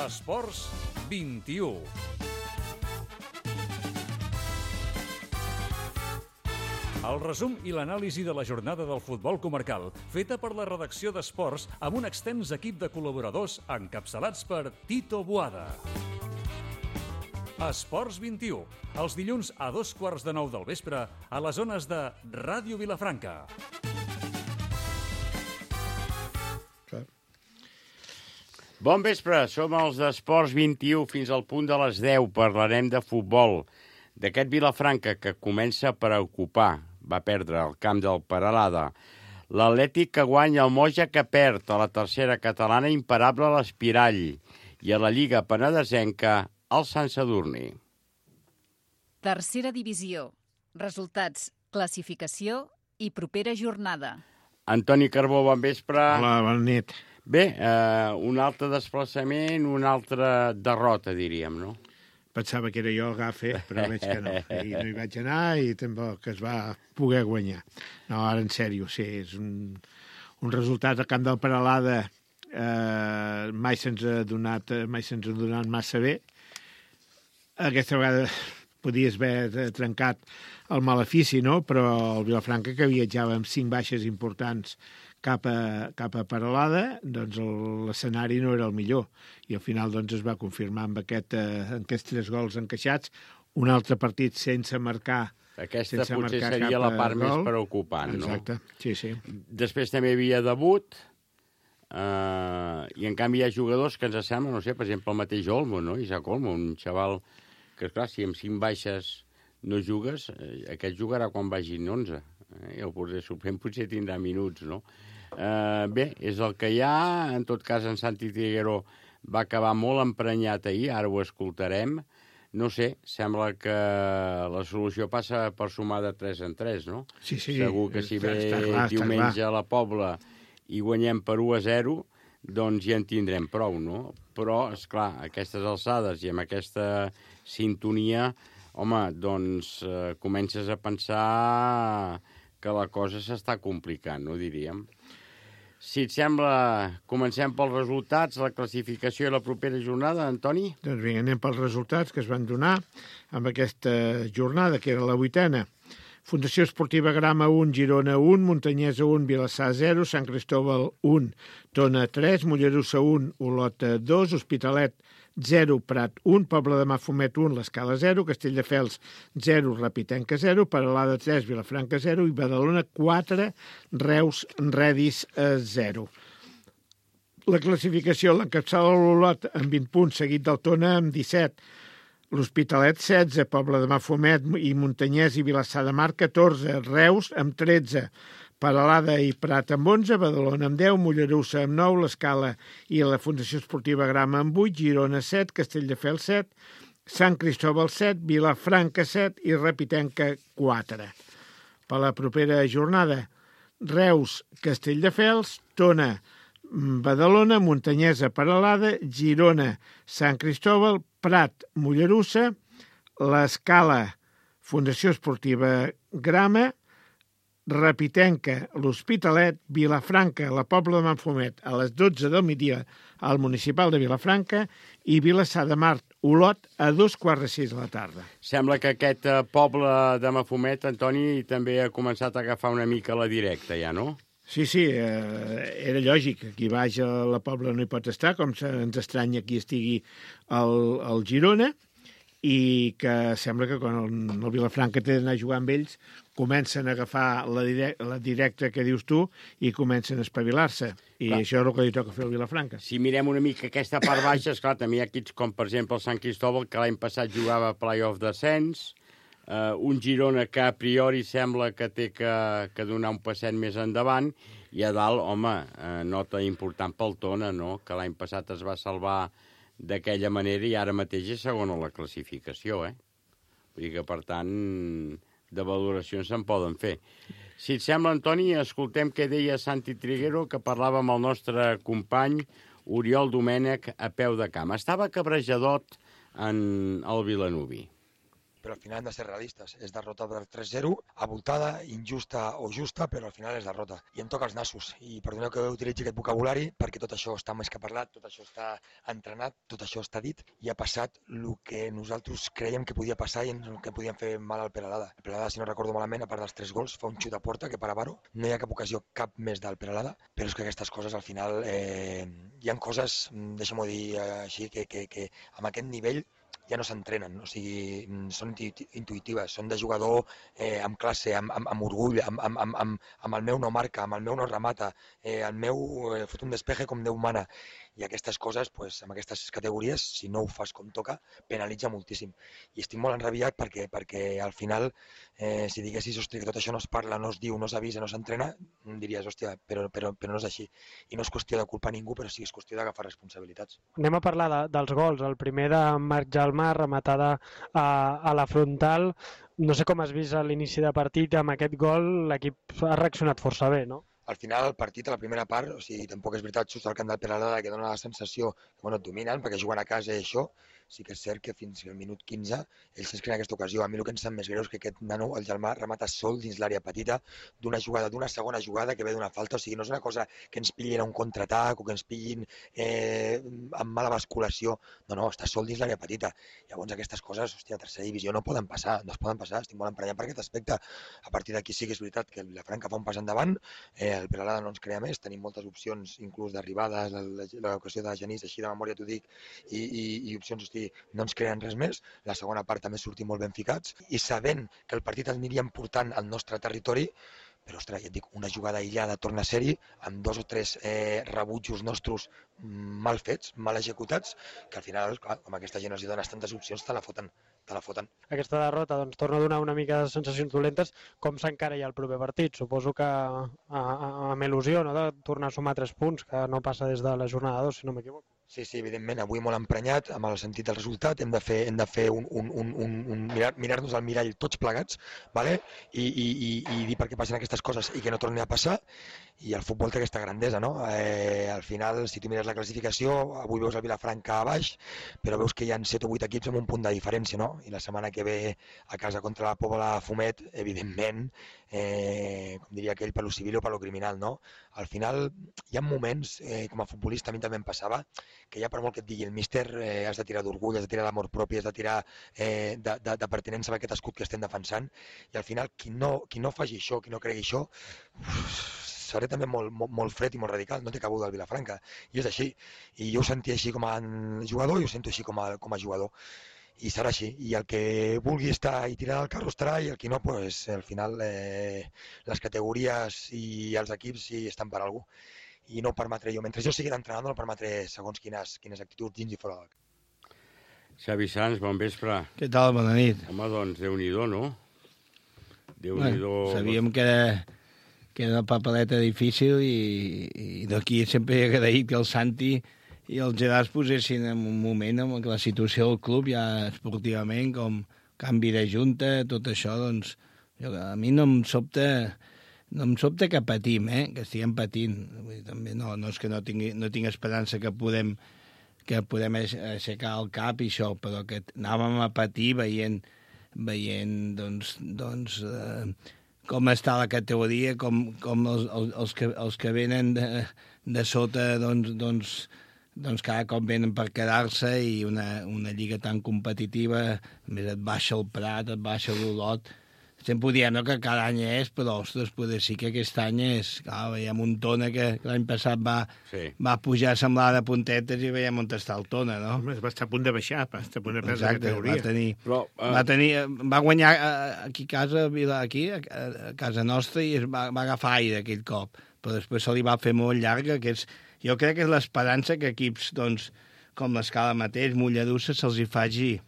Esports 21. El resum i l'anàlisi de la jornada del futbol comarcal, feta per la redacció d'Esports amb un extens equip de col·laboradors encapçalats per Tito Boada. Esports 21, els dilluns a 8:15 del vespre a les zones de Ràdio Vilafranca. Bon vespre, som els d'Esports 21 fins al punt de les 10. Parlarem de futbol, d'aquest Vilafranca que comença a preocupar. Va perdre el camp del Peralada. L'Atlètic que guanya, el Moja que perd, a la tercera catalana imparable a l'Espirall i a la Lliga Penedesenca el Sant Sadurní. Tercera divisió. Resultats, classificació i propera jornada. Antoni Carbó, bon vespre. Hola, bona nit. Bé, un altre desplaçament, una altra derrota, diríem, no? Pensava que era jo el gafe, però veig que no. I no hi vaig anar i tampoc es va poder guanyar. No, ara en sèrio, sí, és un resultat al camp del Peralada mai se'ns ha donat massa bé. Aquesta vegada podies haver trencat el malefici, no? Però el Vilafranca, que viatjava amb 5 baixes importants cap a Peralada, doncs l'escenari no era el millor. I al final doncs, es va confirmar amb aquests 3 gols encaixats. Un altre partit sense marcar. Aquesta potser seria la part més preocupant, no? Exacte, sí. Després també hi havia debut, i en canvi hi ha jugadors que ens semblen, no sé, per exemple, el mateix Olmo, no? Isaac Olmo, un xaval que, clar, si amb 5 baixes no jugues, aquest jugarà quan vagin 11. El porter suplent potser tindrà minuts, no? Bé, és el que hi ha. En tot cas, en Santi Triguero va acabar molt emprenyat ahir, ara ho escoltarem. No sé, sembla que la solució passa per sumar de 3 en 3, no? Sí. Segur que si ve diumenge a la Pobla i guanyem per 1-0, doncs ja en tindrem prou, no? Però, esclar, a aquestes alçades i amb aquesta sintonia, home, doncs comences a pensar que la cosa s'està complicant, no diríem? Si et sembla, comencem pels resultats, la classificació i la propera jornada, Antoni? Doncs vinga, anem pels resultats que es van donar amb aquesta jornada, que era la 8a. Fundació Esportiva Grama 1, Girona 1, Montanyesa 1, Vilassar 0, Sant Cristóbal 1, Tona 3, Mollerussa 1, Olot 2, Hospitalet 0, Prat 1, Pobla de Mafumet 1, l'Escala 0, Castelldefels 0, Rapitenca 0, Peralada 3, Vilafranca 0 i Badalona 4, Reus Redis 0. La classificació l'encapçala l'Olot amb 20 punts, seguit del Tona amb 17, l'Hospitalet 16, Pobla de Mafumet i Montanyès i Vilassar de Mar 14, Reus amb 13, Peralada i Prat amb 11, Badalona amb 10, Mollerussa amb 9, l'Escala i la Fundació Esportiva Grama amb 8, Girona 7, Castelldefels 7, Sant Cristóbal 7, Vilafranca 7 i Rapitenca 4. Per la propera jornada, Reus, Castelldefels, Tona, Badalona, Montanyesa, Peralada, Girona, Sant Cristóbal, Prat, Mollerussa, l'Escala, Fundació Esportiva Grama, Rapitenca, l'Hospitalet, Vilafranca, la Pobla de Mafumet, a les 12 del migdia al municipal de Vilafranca i Vilassar de Mar, Olot, a 5:15 de la tarda. Sembla que aquest poble de Mafumet, Antoni, també ha començat a agafar una mica la directa, ja, no? Sí, era lògic. Aquí baix a la Pobla no hi pot estar, com ens estranya que hi estigui el Girona, i que sembla que quan el Vilafranca té d'anar a jugar amb ells comencen a agafar la directa que dius tu i comencen a espavilar-se. I clar, això és el que li toca fer al Vilafranca. Si mirem una mica aquesta part baixa, esclar, també hi ha equips com, per exemple, el Sant Cristóbal, que l'any passat jugava a play-off descens, un Girona que a priori sembla que té que donar un passet més endavant, i a dalt, home, nota important pel Tona, no?, que l'any passat es va salvar d'aquella manera i ara mateix és segon a la classificació, Vull dir que, per tant, de valoracions se'n poden fer. Si et sembla, Antoni, escoltem què deia Santi Triguero, que parlava amb el nostre company Oriol Domènech a peu de camp. Estava cabrejadot en el Vilanoví. però al final hem de ser realistes. És derrota per 3-0, avoltada, injusta o justa, però al final és derrota. I em toca els nassos. I perdoneu que utilitzi aquest vocabulari, perquè tot això està més que parlat, tot això està entrenat, tot això està dit, i ha passat el que nosaltres creiem que podia passar i el que podíem fer mal al Peralada. El Peralada, si no recordo malament, a part dels 3 gols, fa un xut a porta que per Avaro. No hi ha cap ocasió, cap més del Peralada, però és que aquestes coses al final hi ha coses, deixa'm-ho dir així, que amb aquest nivell ja no s'entrenen, o sigui, són intuïtives, són de jugador amb classe, amb orgull, amb el meu no marca, amb el meu no remata, el meu fot un despeje com Déu mana. I aquestes coses, amb aquestes categories, si no ho fas com toca, penalitza moltíssim. I estic molt enrabiat perquè al final, si diguessis, hòstia, que tot això no es parla, no es diu, no s'avisa, no s'entrena, diries, hòstia, però no és així. I no és qüestió de culpar ningú, però sí és qüestió d'agafar responsabilitats. Anem a parlar dels gols. El primer de Marc Jalmà, rematada a la frontal. No sé com has vist a l'inici de partit, amb aquest gol l'equip ha reaccionat força bé, no? Al final, el partit, a la primera part, o sigui, tampoc és veritat, just al camp del Peralada, que dona la sensació que et dominen, perquè juguen a casa i això, sí que és cert que fins al minut 15 ells es creen aquesta ocasió. A mi el que em sap més greu és que aquest nano, el Jalmà, remata sol dins l'àrea petita d'una jugada, d'una segona jugada que ve d'una falta. O sigui, no és una cosa que ens pillin a un contraatac o que ens pillin amb mala basculació. No, està sol dins l'àrea petita. Llavors aquestes coses, hòstia, a tercera divisió no poden passar, estic molt emprenyat per aquest aspecte. A partir d'aquí sí que és veritat que la Franca fa un pas endavant, el Peralada no ens crea més, tenim moltes opcions, inclús d'arribades, l'ocasió de Genís, així de memòria t'ho dic, i opcions, hosti, no ens creen res més. La segona part també sortim molt ben ficats i sabent que el partit aniríem portant al nostre territori, però, ostres, ja et dic, una jugada aïllada torna a ser-hi, amb 2 o 3 rebutjos nostres mal fets, mal executats, que al final, clar, com aquesta gent els dones tantes opcions, te la foten. Aquesta derrota torna a donar una mica de sensacions dolentes. Com s'encara ja el proper partit? Suposo que amb il·lusió, no?, de tornar a sumar 3 punts, que no passa des de la jornada 2, si no m'equivoco. Sí, evidentment, avui molt emprenyat amb el sentit del resultat, hem de fer mirar-nos al mirall tots plegats, ¿vale? I dir per què passen aquestes coses i que no torni a passar, i el futbol té aquesta grandesa, no? Al final, si tu mires la classificació, avui veus el Vilafranca a baix, però veus que hi ha 7 o 8 equips amb un punt de diferència, no? I la setmana que ve a casa contra la Pobla Fumet, evidentment, com diria aquell, per lo civil o per lo criminal, no? Al final, hi ha moments, com a futbolista, a mi també em passava, que ja per molt que et digui el míster, has de tirar d'orgull, has de tirar d'amor propi, has de tirar de pertinença a aquest escut que estem defensant, i al final qui no faci això, qui no cregui això, seré també molt fred i molt radical, no té cabuda al Vilafranca, i és així, i jo ho sentia així com a jugador i ho sento així com a jugador, i serà així, i el que vulgui estar i tirar del carro estarà, i el que no, pues, al final les categories i els equips sí estan per algú, i no ho permetré jo. Mentre jo sigui l'entrenador no permetré segons quines actituds dins i fora del camp. Xavi Sans, bon vespre. Què tal? Bona nit. Home, doncs, Déu-n'hi-do, no? Déu-n'hi-do... Sabíem que era una papeleta difícil i d'aquí sempre he agraït que el Santi i el Gerard es posessin en un moment amb la situació del club ja esportivament, com canvi de junta, tot això, doncs, a mi no em sobta que patim, que estiguem patint. Vull dir, també no és que no tinc esperança que podem aixecar el cap i això, però que anàvem a patir veient com està la categoria, com els que venen de sota cada cop venen per quedar-se, i una lliga tan competitiva, a més et baixa el Prat, et baixa l'Olot. Sempre ho diem, no?, que cada any és, però, ostres, poder sí que aquest any és... Clar, veiem un Tona que l'any passat va pujar a semblar de puntetes i veiem on està el Tona, no? Va estar a punt de baixar, va estar a punt de perdre la categoria. Va guanyar aquí a casa, a casa nostra, i va agafar aire aquell cop, però després se li va fer molt llarga, jo crec que és l'esperança que equips, doncs, com l'Escala mateix, Mollerussa, se'ls hi faci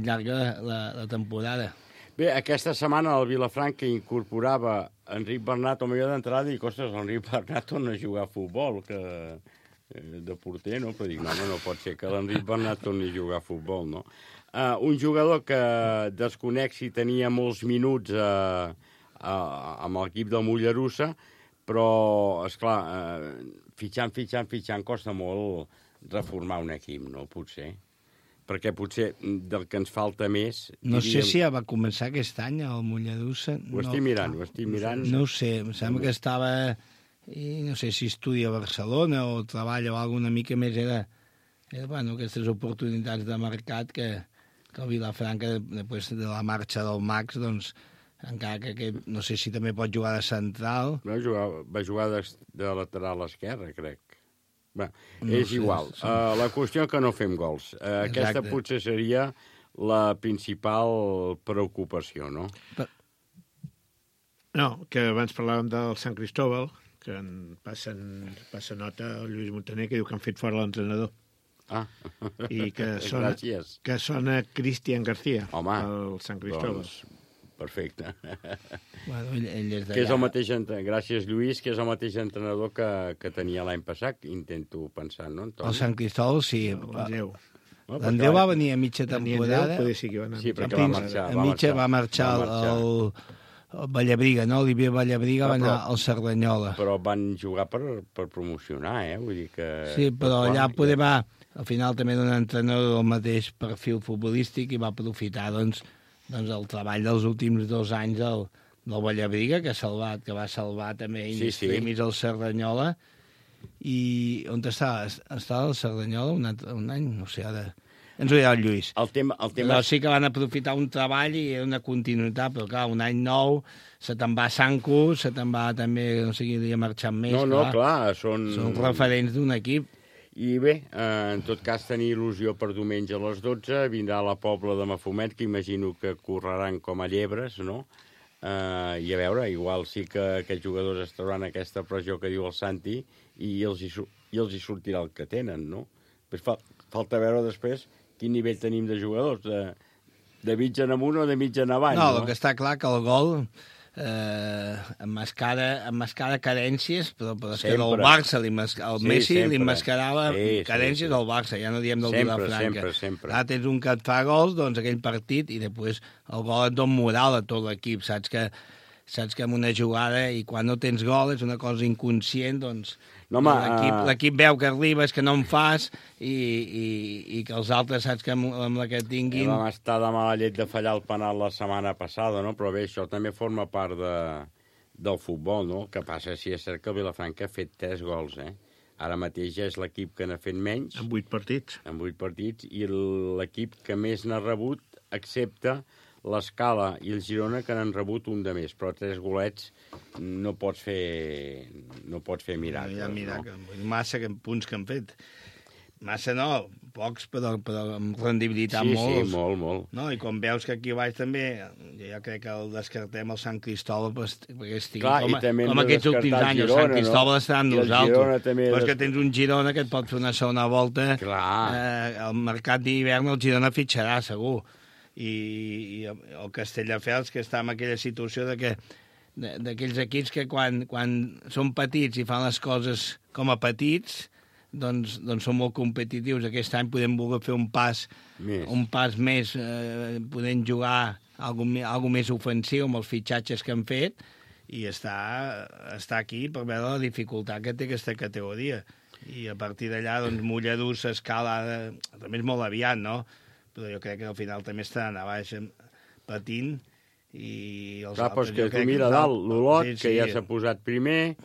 llarga la temporada. Bé, aquesta setmana el Vilafranca incorporava Enric Bernat al millor d'entrada i dic, ostres, Enric Bernat torna a jugar a futbol, de porter, no? Però dic, no pot ser que l'Enric Bernat torni a jugar a futbol, no? Un jugador que desconec si tenia molts minuts amb l'equip del Mollerussa, però, esclar, fitxant, costa molt reformar un equip, no? Potser. perquè potser del que ens falta més... No sé si ja va començar aquest any, el Mollerussa. Ho estic mirant. No ho sé, em sembla que estava... I no sé si estudia a Barcelona o treballa o alguna mica més. Era bueno, aquestes oportunitats de mercat que el Vilafranca, després de la marxa del Max, doncs, encara que no sé si també pot jugar de central. Va jugar de lateral esquerre, crec. Bé, és igual. La qüestió que no fem gols. Aquesta potser seria la principal preocupació, no? No, que abans parlàvem del Sant Cristóbal, que passa nota al Lluís Montaner, que diu que han fet fora l'entrenador. I que sona Cristian García, el Sant Cristóbal. Doncs, perfecte. Bueno, ell és que és el mateix, gràcies, Lluís, que és el mateix entrenador que tenia l'any passat, intento pensar, no, Antoni? El Sant Cristóbal, sí. L'Andreu va venir a mitja temporada. Sí, perquè va marxar el Vallabriga, no? Olivier Vallabriga va anar al Cerdanyola. Però van jugar per promocionar, Vull dir que... Sí, però allà poder va... Al final també d'un entrenador del mateix perfil futbolístic i va aprofitar, doncs el treball dels últims 2 anys del Vallabriga, que va salvar també in extremis al Cerdanyola. I on està? Està al Cerdanyola un any? No sé, ara... Ens ho dirà el Lluís. El tema... Sí que van aprofitar un treball i una continuïtat, però clar, un any nou, se te'n va a Sanco, se te'n va també, no sé qui havia marxat més. Clar, són referents d'un equip. I bé, en tot cas, tenir il·lusió per diumenge a les 12, vindrà la Pobla de Mafumet, que imagino que correran com a llebres, no? I a veure, igual sí que aquests jugadors es trauran aquesta pressió que diu el Santi i els hi sortirà el que tenen, no? Falta veure després quin nivell tenim de jugadors, de mig en amunt o de mig en avall. No, el que està clar que el gol emmascara carències, però és que del Barça, el Messi li emmascarava carències al Barça, ja no diem del Vilafranca. Sempre. Ara tens un que et fa gols, doncs aquell partit, i després el gol et dona moral a tot l'equip, saps que en una jugada, i quan no tens gol és una cosa inconscient, doncs l'equip veu que arribes, que no en fas, i que els altres saps que amb la que tinguin... Vam estar de mala llet de fallar el penal la setmana passada, no? Però bé, això també forma part del futbol, no? El que passa és cert que el Vilafranca ha fet 3 gols, Ara mateix ja és l'equip que n'ha fet menys. En 8 partits. En 8 partits, i l'equip que més n'ha rebut, excepte l'Escala i el Girona, que n'han rebut un de més, però 3 golets no pots fer miracles. Hi ha miracles, no? Massa punts que han fet. Massa no, pocs, però amb rendibilitat molts. Sí, molt. No, i quan veus que aquí baix també, jo crec que el descartem el Sant Cristóbal perquè estigui com aquests últims anys. El Sant Cristóbal estarà amb nosaltres. Però és que tens un Girona que et pot fer una segona volta. Al mercat d'hivern el Girona fitxarà, segur. I el Castelldefels, que està en aquella situació d'aquells equips que quan són petits i fan les coses com a petits, doncs són molt competitius. Aquest any podem voler fer un pas més, podem jugar algo més ofensiu amb els fitxatges que han fet, i està aquí per veure la dificultat que té aquesta categoria. I a partir d'allà, doncs, Mollerussa, Escala, també és molt aviat, no? Però jo crec que al final també estaran a baix patint, i els altres... Doncs que tu mira dalt, l'Olot, que ja s'ha posat primer,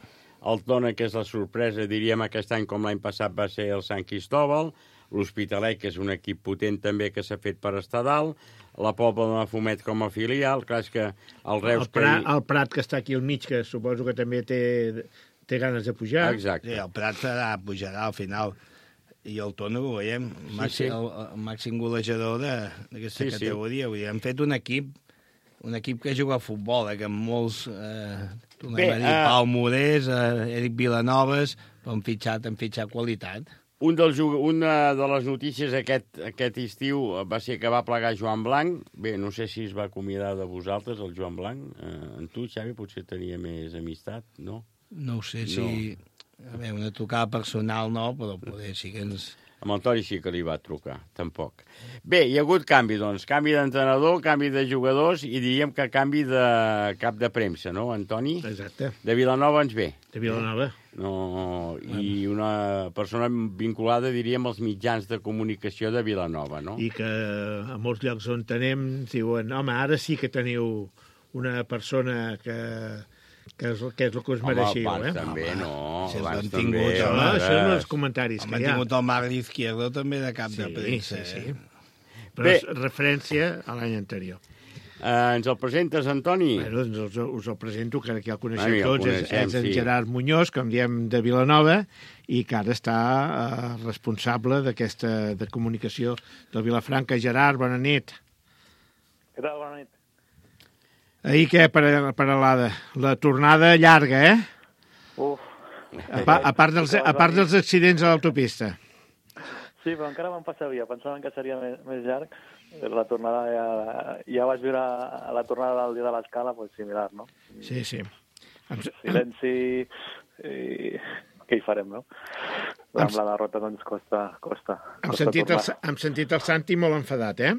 el Tona, que és la sorpresa, diríem, aquest any com l'any passat va ser el Sant Cristóbal, l'Hospitalet, que és un equip potent també que s'ha fet per estar dalt, la Pobla de Mafumet com a filial, clar, és que el Reus... El Prat, que està aquí al mig, que suposo que també té ganes de pujar. Exacte. Sí, el Prat pujarà al final. I el Tona ho veiem, el màxim golejador d'aquesta categoria. Vull dir, han fet un equip que juga a futbol, que amb molts... tornem a dir, Pau Morés, Eric Vilanovas, però han fitxat qualitat. Una de les notícies aquest estiu va ser que va plegar Joan Blanc. Bé, no sé si es va acomiadar de vosaltres, el Joan Blanc. En tu, Xavi, potser tenia més amistat, no? No ho sé, si... A veure, una tocada personal no, però poder sí que ens... Amb el Toni sí que li va trucar, tampoc. Bé, hi ha hagut canvi, doncs. Canvi d'entrenador, canvi de jugadors i diríem que canvi de cap de premsa, no, Antoni? Exacte. De Vilanova ens ve. De Vilanova. No, i una persona vinculada, diríem, als mitjans de comunicació de Vilanova, no? I que a molts llocs on tenem diuen, home, ara sí que teniu una persona que és el que us mereixeu, abans també, no. si Abans l'han també. tingut, Home, això són els comentaris que Han hi ha. tingut el Marc Izquierdo també de cap de premsa. Sí. Però és referència a l'any anterior. Ens el presentes, Antoni? Bueno, doncs us el presento, que aquí el coneixem Ja el tots, coneixem, és en sí. Gerard Muñoz, com diem, de Vilanova, i que ara està responsable d'aquesta de comunicació del Vilafranca. Gerard, bona nit. Què tal? Bona nit. Ahir què, Paralada? La tornada llarga, eh? Uf. A part dels accidents a l'autopista. Sí, però encara vam passar via. Pensàvem que seria més llarg. La tornada ja vaig viure la tornada del dia de l'escala, doncs similar, no? Sí. Silenci i què hi farem, no? Amb la derrota doncs costa Hem sentit el Santi molt enfadat, eh?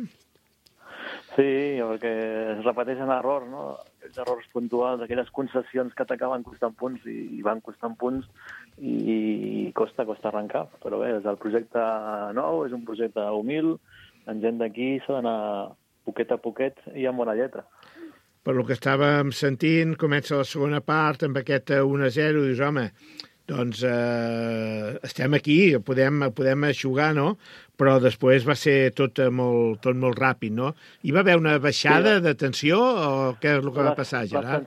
Sí, perquè es repeteixen errors, no? Aquells errors puntuals, aquelles concessions que t'acaben costant punts i van costant punts i costa arrencar. Però bé, és el projecte nou, és un projecte humil, en gent d'aquí s'ha d'anar poquet a poquet i amb bona lletra. Per lo que estàvem sentint, comença la segona part amb aquest 1-0, dius, home, doncs estem aquí, podem eixugar, no? Però després va ser tot molt ràpid, no? Hi va haver una baixada de tensió o què és el que va passar, Gerard?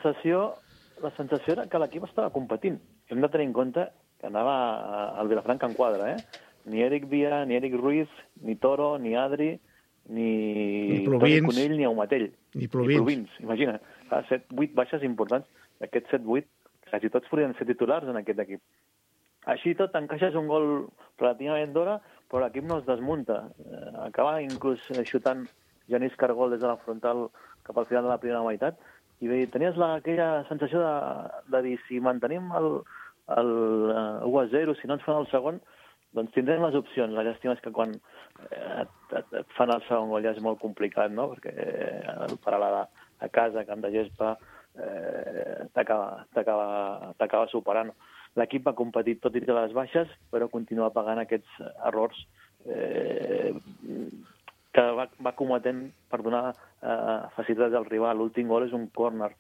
La sensació era que l'equip estava competint. Hem de tenir en compte que anava al Vilafranca en quadre, eh? Ni Eric Via, ni Eric Ruiz, ni Toro, ni Adri, ni Toni Conill, ni Aumatell. Ni Plovins. Imagina, 7-8 baixes importants. D'aquests 7-8, quasi tots podrien ser titulars en aquest equip. Així tot, encaixes un gol relativament d'hora, però l'equip no es desmunta. Acaba inclús xutant Genís Cargol des de la frontal cap al final de la primera meitat. I bé, tenies aquella sensació de dir, si mantenim el 1-0, si no ens fan el segon, doncs tindrem les opcions. La llàstima és que quan et fan el segon gol ja és molt complicat, no? Perquè el Paralada a casa, camp de gespa, t'acaba superant. L'equip va competir tot i les baixes, però continua pagant aquests errors que va cometent per donar facilitats al rival. L'últim gol és un córner.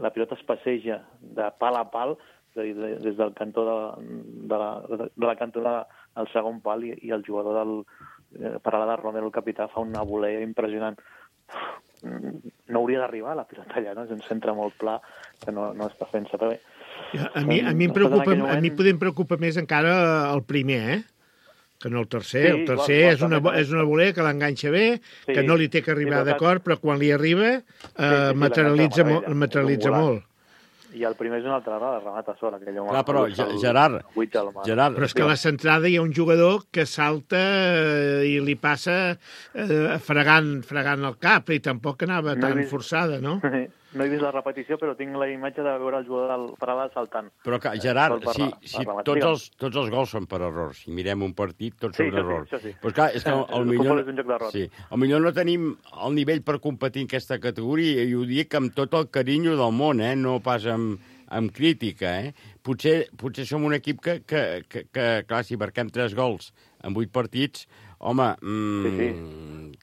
La pilota es passeja de pal a pal, des del cantó de la cantonada al segon pal, i el jugador del Paralada, Romero, el capità, fa una volea impressionant. No hauria d'arribar a la pilota allà, no? És un centre molt pla que no està fent-se bé. A mi em preocupa més encara el primer, que no el tercer. Sí, el tercer és una volea que l'enganxa bé, que no li té que arribar d'acord, però quan li arriba materialitza molt. I el primer és una altra errada, remata sola. Clar, però, Gerard, però és que a la centrada hi ha un jugador que salta i li passa fregant el cap, i tampoc anava tan forçada, no? No he vist la repetició, però tinc la imatge de veure el jugador del Paralada saltant. Però, Gerard, si tots els gols són per errors, si mirem un partit, tots són errors. Sí. Però, clar, és que potser no tenim el nivell per competir en aquesta categoria, i ho dic amb tot el carinyo del món, no pas amb crítica. Potser som un equip que clar, si marquem 3 gols en 8 partits, home,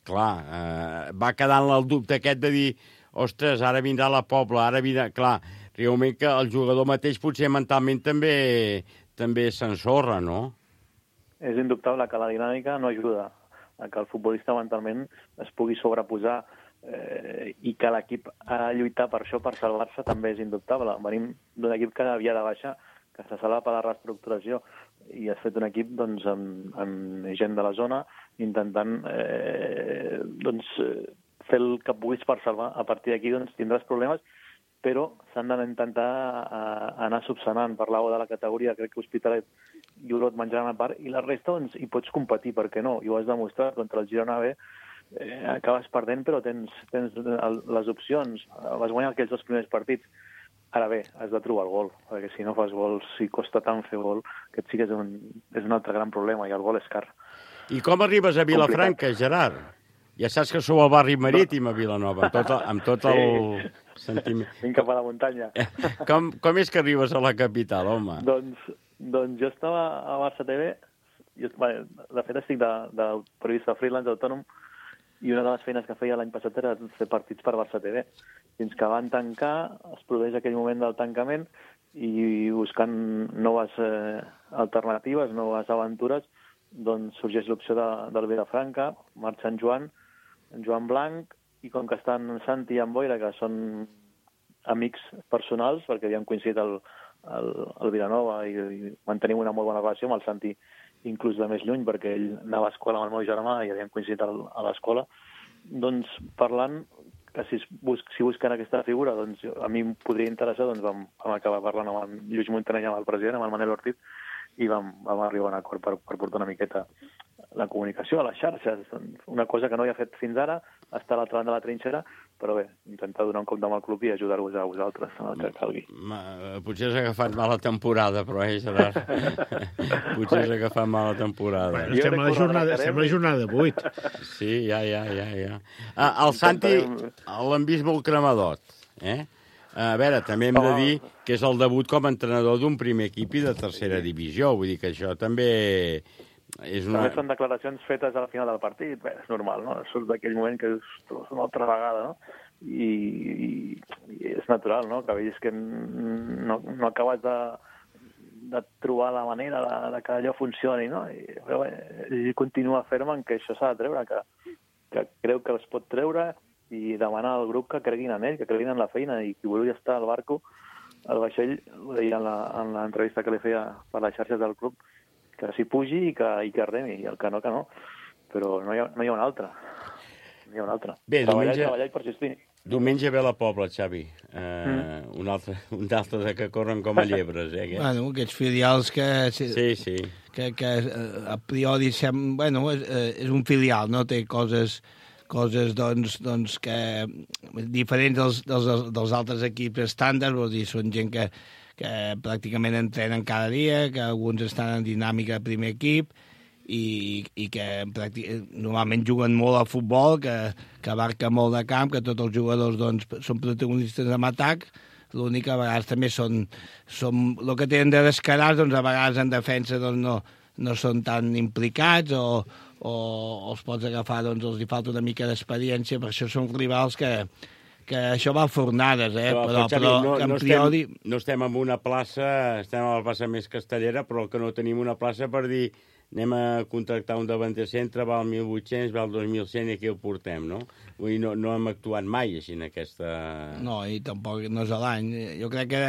clar, va quedant el dubte aquest de dir, ostres, ara vindrà la Pobla, ara vindrà... Clar, realment que el jugador mateix potser mentalment també s'ensorra, no? És indubtable que la dinàmica no ajuda a que el futbolista mentalment es pugui sobreposar i que l'equip ha de lluitar per això, per salvar-se, també és indubtable. Venim d'un equip que havia de baixar, que se salva per la reestructuració, i has fet un equip doncs, amb gent de la zona intentant fer el que puguis per salvar. A partir d'aquí doncs, tindràs problemes, però s'han d'intentar anar subsanant. Parlàveu de la categoria, crec que Hospitalet i Olot menjaran a part, i la resta doncs, hi pots competir, per què no? I ho has demostrat contra el Girona B. Acabes perdent, però tens les opcions. Vas guanyar aquells 2 primers partits. Ara bé, has de trobar el gol, perquè si no fas gols, si costa tant fer gol, aquest sí que és un altre gran problema, i el gol és car. I com arribes a Vilafranca, Gerard? Ja saps que sou al barri marítim a Vilanova, amb tot el sentiment. Vinc cap a la muntanya. Com és que arribes a la capital, home? Doncs jo estava a Barça TV, de fet estic de periodista freelance autònom, i una de les feines que feia l'any passat era fer partits per Barça TV. Fins que van tancar, es produeix aquell moment del tancament, i buscant noves alternatives, noves aventures, doncs sorgeix l'opció del Vilafranca, marxa en Joan Blanc, i com que estan Santi i en Boira, que són amics personals, perquè havien coincidit al Vilanova i mantenim una molt bona relació amb el Santi, inclús de més lluny, perquè ell anava a escola amb el meu germà i havien coincidit a l'escola, doncs parlant, que si busquen aquesta figura, doncs a mi em podria interessar, doncs vam acabar parlant amb el Lluís Montaner, amb el president, amb el Manel Ortiz, i vam arribar a un acord per portar una miqueta la comunicació a les xarxes. Una cosa que no havia fet fins ara, estar a l'altra banda de la trinxera, però bé, intentar donar un cop de mà al club i ajudar-vos a vosaltres en el que calgui. Potser has agafat mala temporada, però, Gerard? Potser has agafat mala temporada. Bueno, estem a la jornada 8. Sí, ja. El Santi l'hem vist molt cremadot, eh? A veure, també hem de dir que és el debut com a entrenador d'un primer equip i de tercera divisió. Vull dir que això també és una... També són declaracions fetes al final del partit. Bé, és normal, no? Surt d'aquell moment que és una altra vegada, no? I és natural, no? Que veus que no acabes de trobar la manera de que allò funcioni, no? Però bé, ell continua ferm en que això s'ha de treure, que creu que es pot treure, i demanar al grup que creguin en ell, que creguin en la feina, i qui vulgui estar al barco, al vaixell, ho deia en l'entrevista que li feia per les xarxes del club, que s'hi pugi i que remi, i el que no, però no hi ha una altra. No hi ha una altra. Bé, treballar i persistir. Diumenge ve la Pobla, Xavi. Un altre de que corren com a llebres, eh? Bueno, aquests filials que... Sí. Que a priori és un filial, no? Té coses doncs, que diferents dels altres equips estàndards, vol dir, són gent que pràcticament entrenen cada dia, que alguns estan en dinàmica de primer equip i que normalment juguen molt a futbol, que abarca molt de camp, que tots els jugadors doncs, són protagonistes en atac. L'únic que a vegades també són el que tenen de descarats, doncs a vegades en defensa doncs, no són tan implicats o els pots agafar, doncs els hi falta una mica d'experiència, per això són rivals que això va a fornades, però en priori... No estem en una plaça, estem a la plaça més castellera, però que no tenim una plaça per dir anem a contractar un davanter centre, val 1.800, val 2.100 i aquí el portem, no? Vull dir, no hem actuat mai així en aquesta... No, i tampoc no és l'any. Jo crec que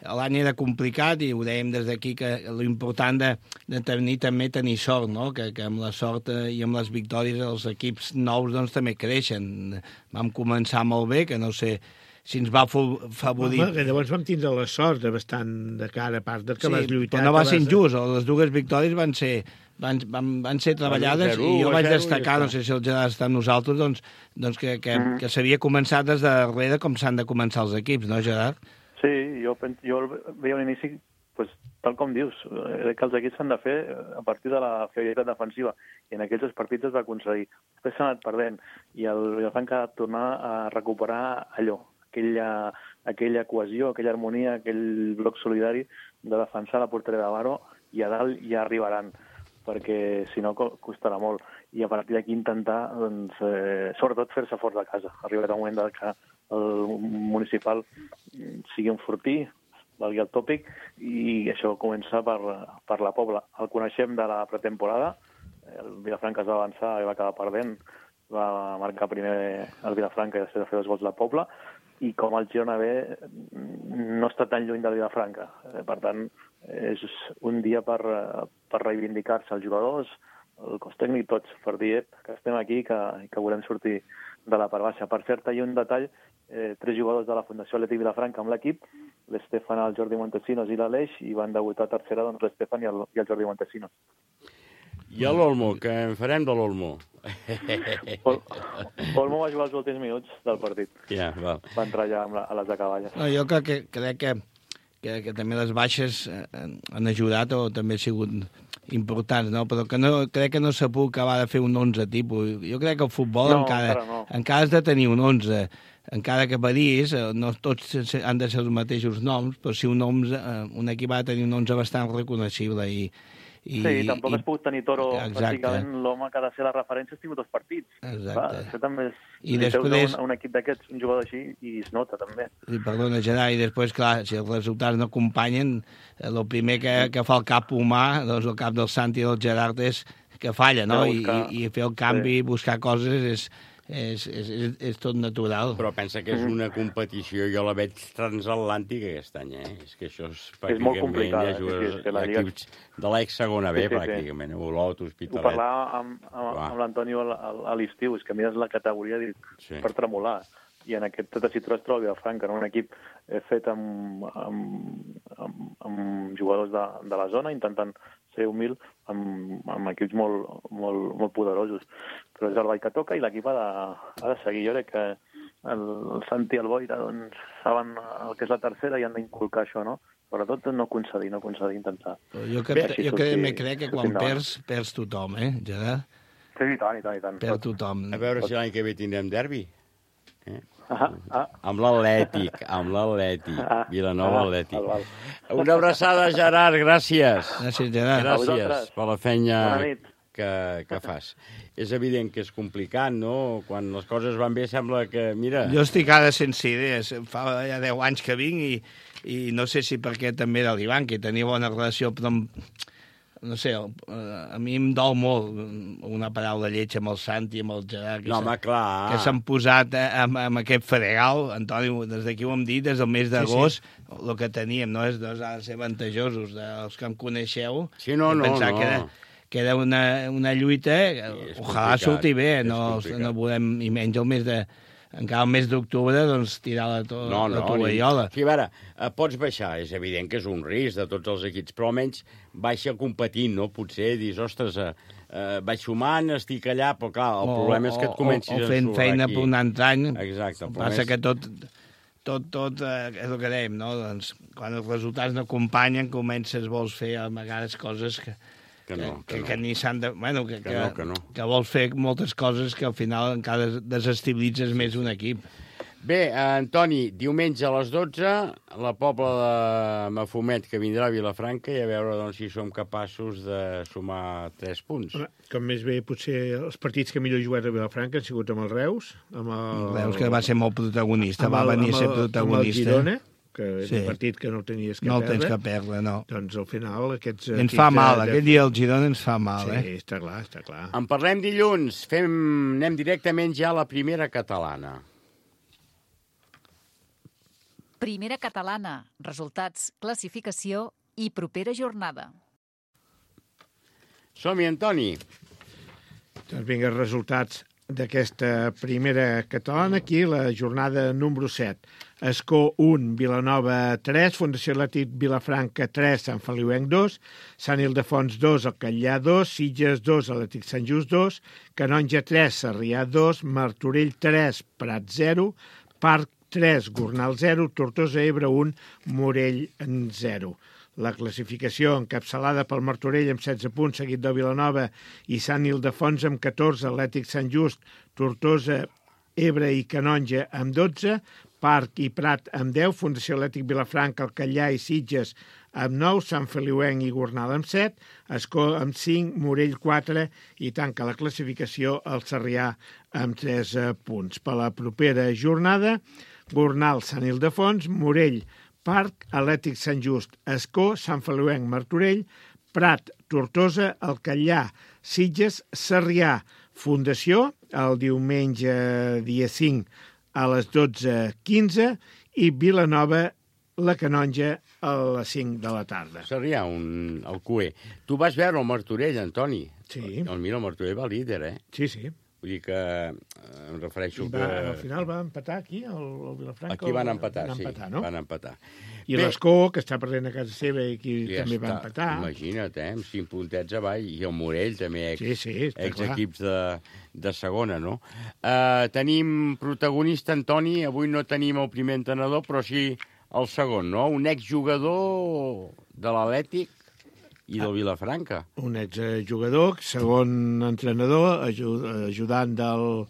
l'any era complicat i ho dèiem des d'aquí, que l'important de tenir sort, no? Que amb la sort i amb les victòries els equips nous doncs, també creixen. Vam començar molt bé, que no sé si ens va favorir... Llavors vam tindre la sort de bastant de cara, a part de que vas lluitar... Però no va ser injust, les dues victòries van ser treballades i jo vaig destacar, no sé si el Gerard està amb nosaltres, doncs que s'havia començat des de darrere com s'han de començar els equips, no, Gerard? Sí, jo veia un inici, tal com dius, que els equips s'han de fer a partir de la fiabilitat defensiva, i en aquells partits es va aconseguir. Després s'ha anat perdent, i el Vilafranca ha de tornar a recuperar allò, aquella cohesió, aquella harmonia, aquell bloc solidari de defensar la porteria de Baro, i a dalt ja arribaran, perquè si no costarà molt. I a partir d'aquí intentar, doncs, sobretot fer-se fort de casa. Ha arribat el moment que el municipal sigui un fortí, valgui el tòpic, i això comença per la Pobla. El coneixem de la pretemporada, el Vilafranca es va avançar i va acabar perdent, va marcar primer el Vilafranca i després de fer 2 gols la Pobla, i com el Girona B no està tan lluny del Vilafranca. Per tant, és un dia per reivindicar-se els jugadors, el cos tècnic, tots, per dir que estem aquí i que volem sortir de la part baixa. Per cert, hi ha un detall, 3 jugadors de la Fundació Atlètic Vilafranca amb l'equip, l'Estefan, el Jordi Montesinos i l'Aleix, i van debutar a tercera doncs, l'Estefan i el Jordi Montesinos. I a l'Olmo, què en farem de l'Olmo? Olmo va jugar els últims minuts del partit. Ja, val. Va entrar ja a les acaballes. No, jo crec que també les baixes han ajudat, o també ha sigut importants, no? Però crec que no s'ha pogut acabar de fer un 11 tipus. Jo crec que el futbol encara has de tenir un 11, encara que varies, no tots han de ser els mateixos noms, però si un equip ha de tenir un 11 bastant reconeixible Sí, tampoc has pogut tenir Toro, pràcticament l'home que ha de ser la referència has tingut 2 partits. Exacte. Això també és... I després... un equip d'aquests, un jugador així, i es nota, també. Perdona, Gerard, i després, clar, si els resultats no acompanyen, el primer que fa el cap humà, doncs el cap del Santi i del Gerard és que falla, no? I fer el canvi, buscar coses és tot natural. Però pensa que és una competició, jo la veig transatlàntica aquest any, És que això és pràcticament... És molt complicat, equips de l'ex-segona B, pràcticament, Olot, Hospitalet... Ho parlava amb l'Antonio a l'estiu, és que mires la categoria per tremolar, i en aquest tessitura es troba el Vilafranca, un equip fet amb jugadors de la zona, intentant ser humil amb equips molt poderosos. Però és el ball que toca i l'equip ha de seguir. Jo crec que el Santi i el Boira saben el que és la tercera i han d'inculcar això, no? Sobretot no concedir, intentar. Jo crec que quan perds tothom, Gerard? Sí, i tant. Perd tothom. A veure si l'any que ve tindrem derbi. Amb l'Atlètic, Vilanova Atlètic. Una abraçada, Gerard, gràcies. Gràcies, Gerard. Gràcies per la feina que fas. És evident que és complicat, no? Quan les coses van bé sembla que, mira... Jo estic ara sense idees. Fa ja 10 anys que vinc i no sé si perquè també era l'Ivan, que tenia bona relació, però no sé, a mi em dol molt una paraula lletja amb el Santi, amb el Gerard, que s'han posat amb aquest fregal. Antoni, des d'aquí ho hem dit, des del mes d'agost, el que teníem, no? Ha de ser avantajosos, els que em coneixeu, pensar que era una lluita, ojalà surti bé, no volem, i menys el mes de... Encara el mes d'octubre, doncs, tirar la tovallola. Sí, a veure, pots baixar, és evident que és un risc de tots els equips, però almenys baixa competint, no? Potser dius, ostres, vaig sumant, estic allà, però clar, el problema és que et comencis a ensorrar aquí. O fent feina per un altre any. Exacte. Passa que tot és el que dèiem, no? Doncs, quan els resultats no acompanyen, vols fer a vegades coses que ni s'han de... Bueno, que vols fer moltes coses que al final encara desestabilitzes més un equip. Bé, Antoni, diumenge a les 12, la Pobla de Mafumet, que vindrà a Vilafranca, i a veure si som capaços de sumar 3 punts. Com més bé, potser els partits que millor he jugat a Vilafranca han sigut amb el Reus. El Reus, que va ser molt protagonista, va venir a ser protagonista. Amb el Girona, que és un partit que no tenies que perdre. No el tens que perdre, no. Doncs al final aquests... Ens fa mal, aquell dia el Girona ens fa mal, Sí, està clar. En parlem dilluns, anem directament ja a la primera catalana. Primera catalana, resultats, classificació i propera jornada. Som-hi, Antoni. Doncs vinga, resultats d'aquesta primera catalana, aquí, la jornada número 7. Escó 1, Vilanova 3, Fundació Atlètic Vilafranca 3, Sant Feliuenc 2, Sant Ildefons 2, el Catllà 2, Sitges 2, Atlètic Sant Just 2, Canonja 3, Sarrià 2, Martorell 3, Prat 0, Parc 3, Gornal 0, Tortosa Ebre 1, Morell 0. La classificació encapçalada pel Martorell amb 16 punts, seguit de Vilanova i Sant Ildefons amb 14, Atlètic Sant Just, Tortosa, Ebre i Canonja amb 12, Parc i Prat amb 10, Fundació Atlètic Vilafranca, el Catllà i Sitges amb 9, Sant Feliuenc i Gornal amb 7, Escó amb 5, Morell 4 i tanca la classificació el Sarrià amb 3 punts. Per la propera jornada, Gornal, Sant Ildefons, Morell, Parc, Atlètic Sant Just, Escó, Sant Feliuenc, Martorell, Prat, Tortosa, el Catllà, Sitges, Sarrià, Fundació, el diumenge dia 5 a les 12:15 i Vilanova, la Canonja, a les 5 de la tarda. Sarrià, el cué. Tu vas veure el Martorell, Antoni. Sí. El Martorell va líder, Sí, sí. Vull dir que em refereixo que... Al final va empatar aquí, el Vilafranca. Aquí van empatar, no? Van empatar. I l'Escó, que està perdent a casa seva i aquí també va empatar. Imagina't, amb 5 puntets avall. I el Morell, també, ex-equips de segona, no? Tenim protagonista, Antoni. Avui no tenim el primer entrenador, però sí el segon, no? Un exjugador de l'Atlètic. I del Vilafranca. Un exjugador, segon entrenador, ajudant del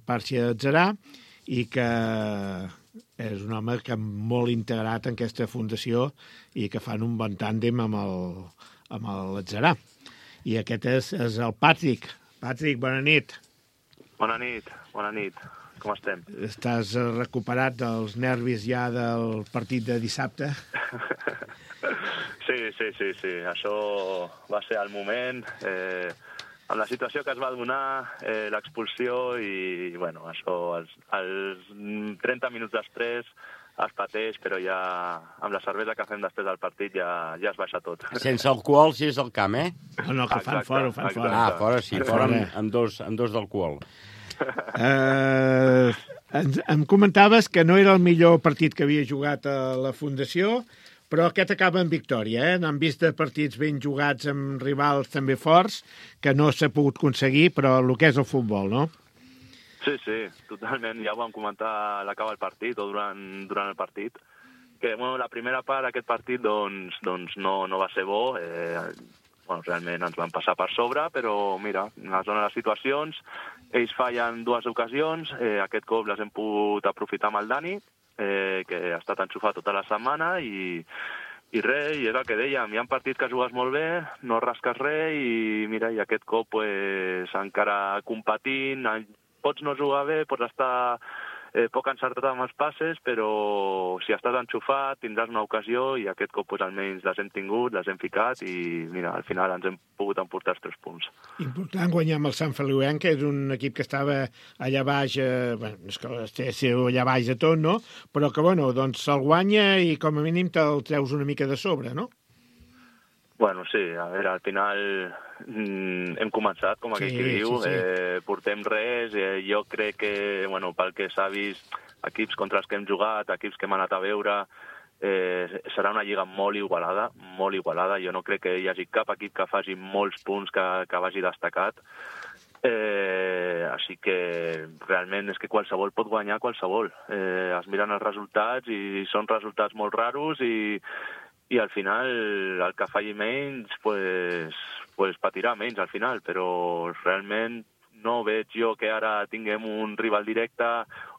Parchi Atzarà, i que és un home que molt integrat en aquesta fundació i que fan un bon tàndem amb l'Atzarà. I aquest és el Patrick. Patrick, bona nit. Bona nit. Com estem? Estàs recuperat dels nervis ja del partit de dissabte? Sí. Això va ser el moment. Amb la situació que es va donar, l'expulsió i, bueno, això, els 30 minuts després es pateix, però ja amb la cervesa que fem després del partit ja es baixa tot. Sense alcohol, si és al camp, eh? No, que fan fora, ho fan fora. Ah, fora sí, fora amb dos d'alcohol. Em comentaves que no era el millor partit que havia jugat a la Fundació, però aquest acaba en victòria, eh? N'han vist de partits ben jugats amb rivals també forts, que no s'ha pogut aconseguir, però el que és el futbol, no? Sí, totalment. Ja ho vam comentar a l'acabar el partit o durant el partit, que bueno, la primera part d'aquest partit doncs no va ser bo. Realment ens van passar per sobre, però mira, en la zona de les situacions, ells fallen 2 ocasions, aquest cop les hem pogut aprofitar amb el Dani, que ha estat enxufat tota la setmana i res, i és el que dèiem, hi ha partits que jugues molt bé, no rasques res i mira, i aquest cop pues, encara competint, pots no jugar bé, pots estar poc encertat amb els passes, però si estàs enxufat tindràs una ocasió i aquest cop pues, almenys les hem tingut, les hem ficat i mira, al final ens hem pogut emportar els 3 punts. Important guanyar amb el Sant Feliuenc, que és un equip que estava allà baix, bueno, és que estava allà baix de tot, no? Però que, bueno, doncs se'l guanya i com a mínim te'l treus una mica de sobre, no? Bueno, sí, a veure, al final hem començat, com aquell que diu, sí. Portem res, jo crec que, bueno, pel que s'ha vist, equips contra els que hem jugat, equips que hem anat a veure, serà una lliga molt igualada, jo no crec que hi hagi cap equip que faci molts punts que vagi destacat, així que realment és que qualsevol pot guanyar qualsevol, es miren els resultats i són resultats molt raros i al final el que falli menys pues patirà menys al final, però realment no veig jo que ara tinguem un rival directe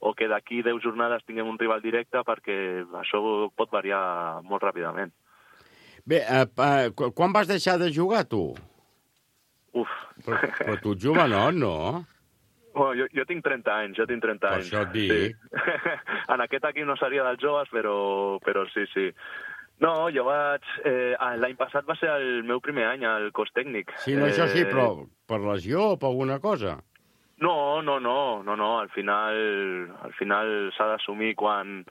o que d'aquí 10 jornades tinguem un rival directe perquè això pot variar molt ràpidament. Bé, quan vas deixar de jugar, tu? Però tu ets jovenot, no? Bueno, jo tinc 30 anys, Per això et dic. Sí. En aquest equip no seria dels joves, però sí. No, jo vaig... L'any passat va ser el meu primer any al cos tècnic. Sí, no, això sí, però per lesió o per alguna cosa? No, al final s'ha d'assumir quan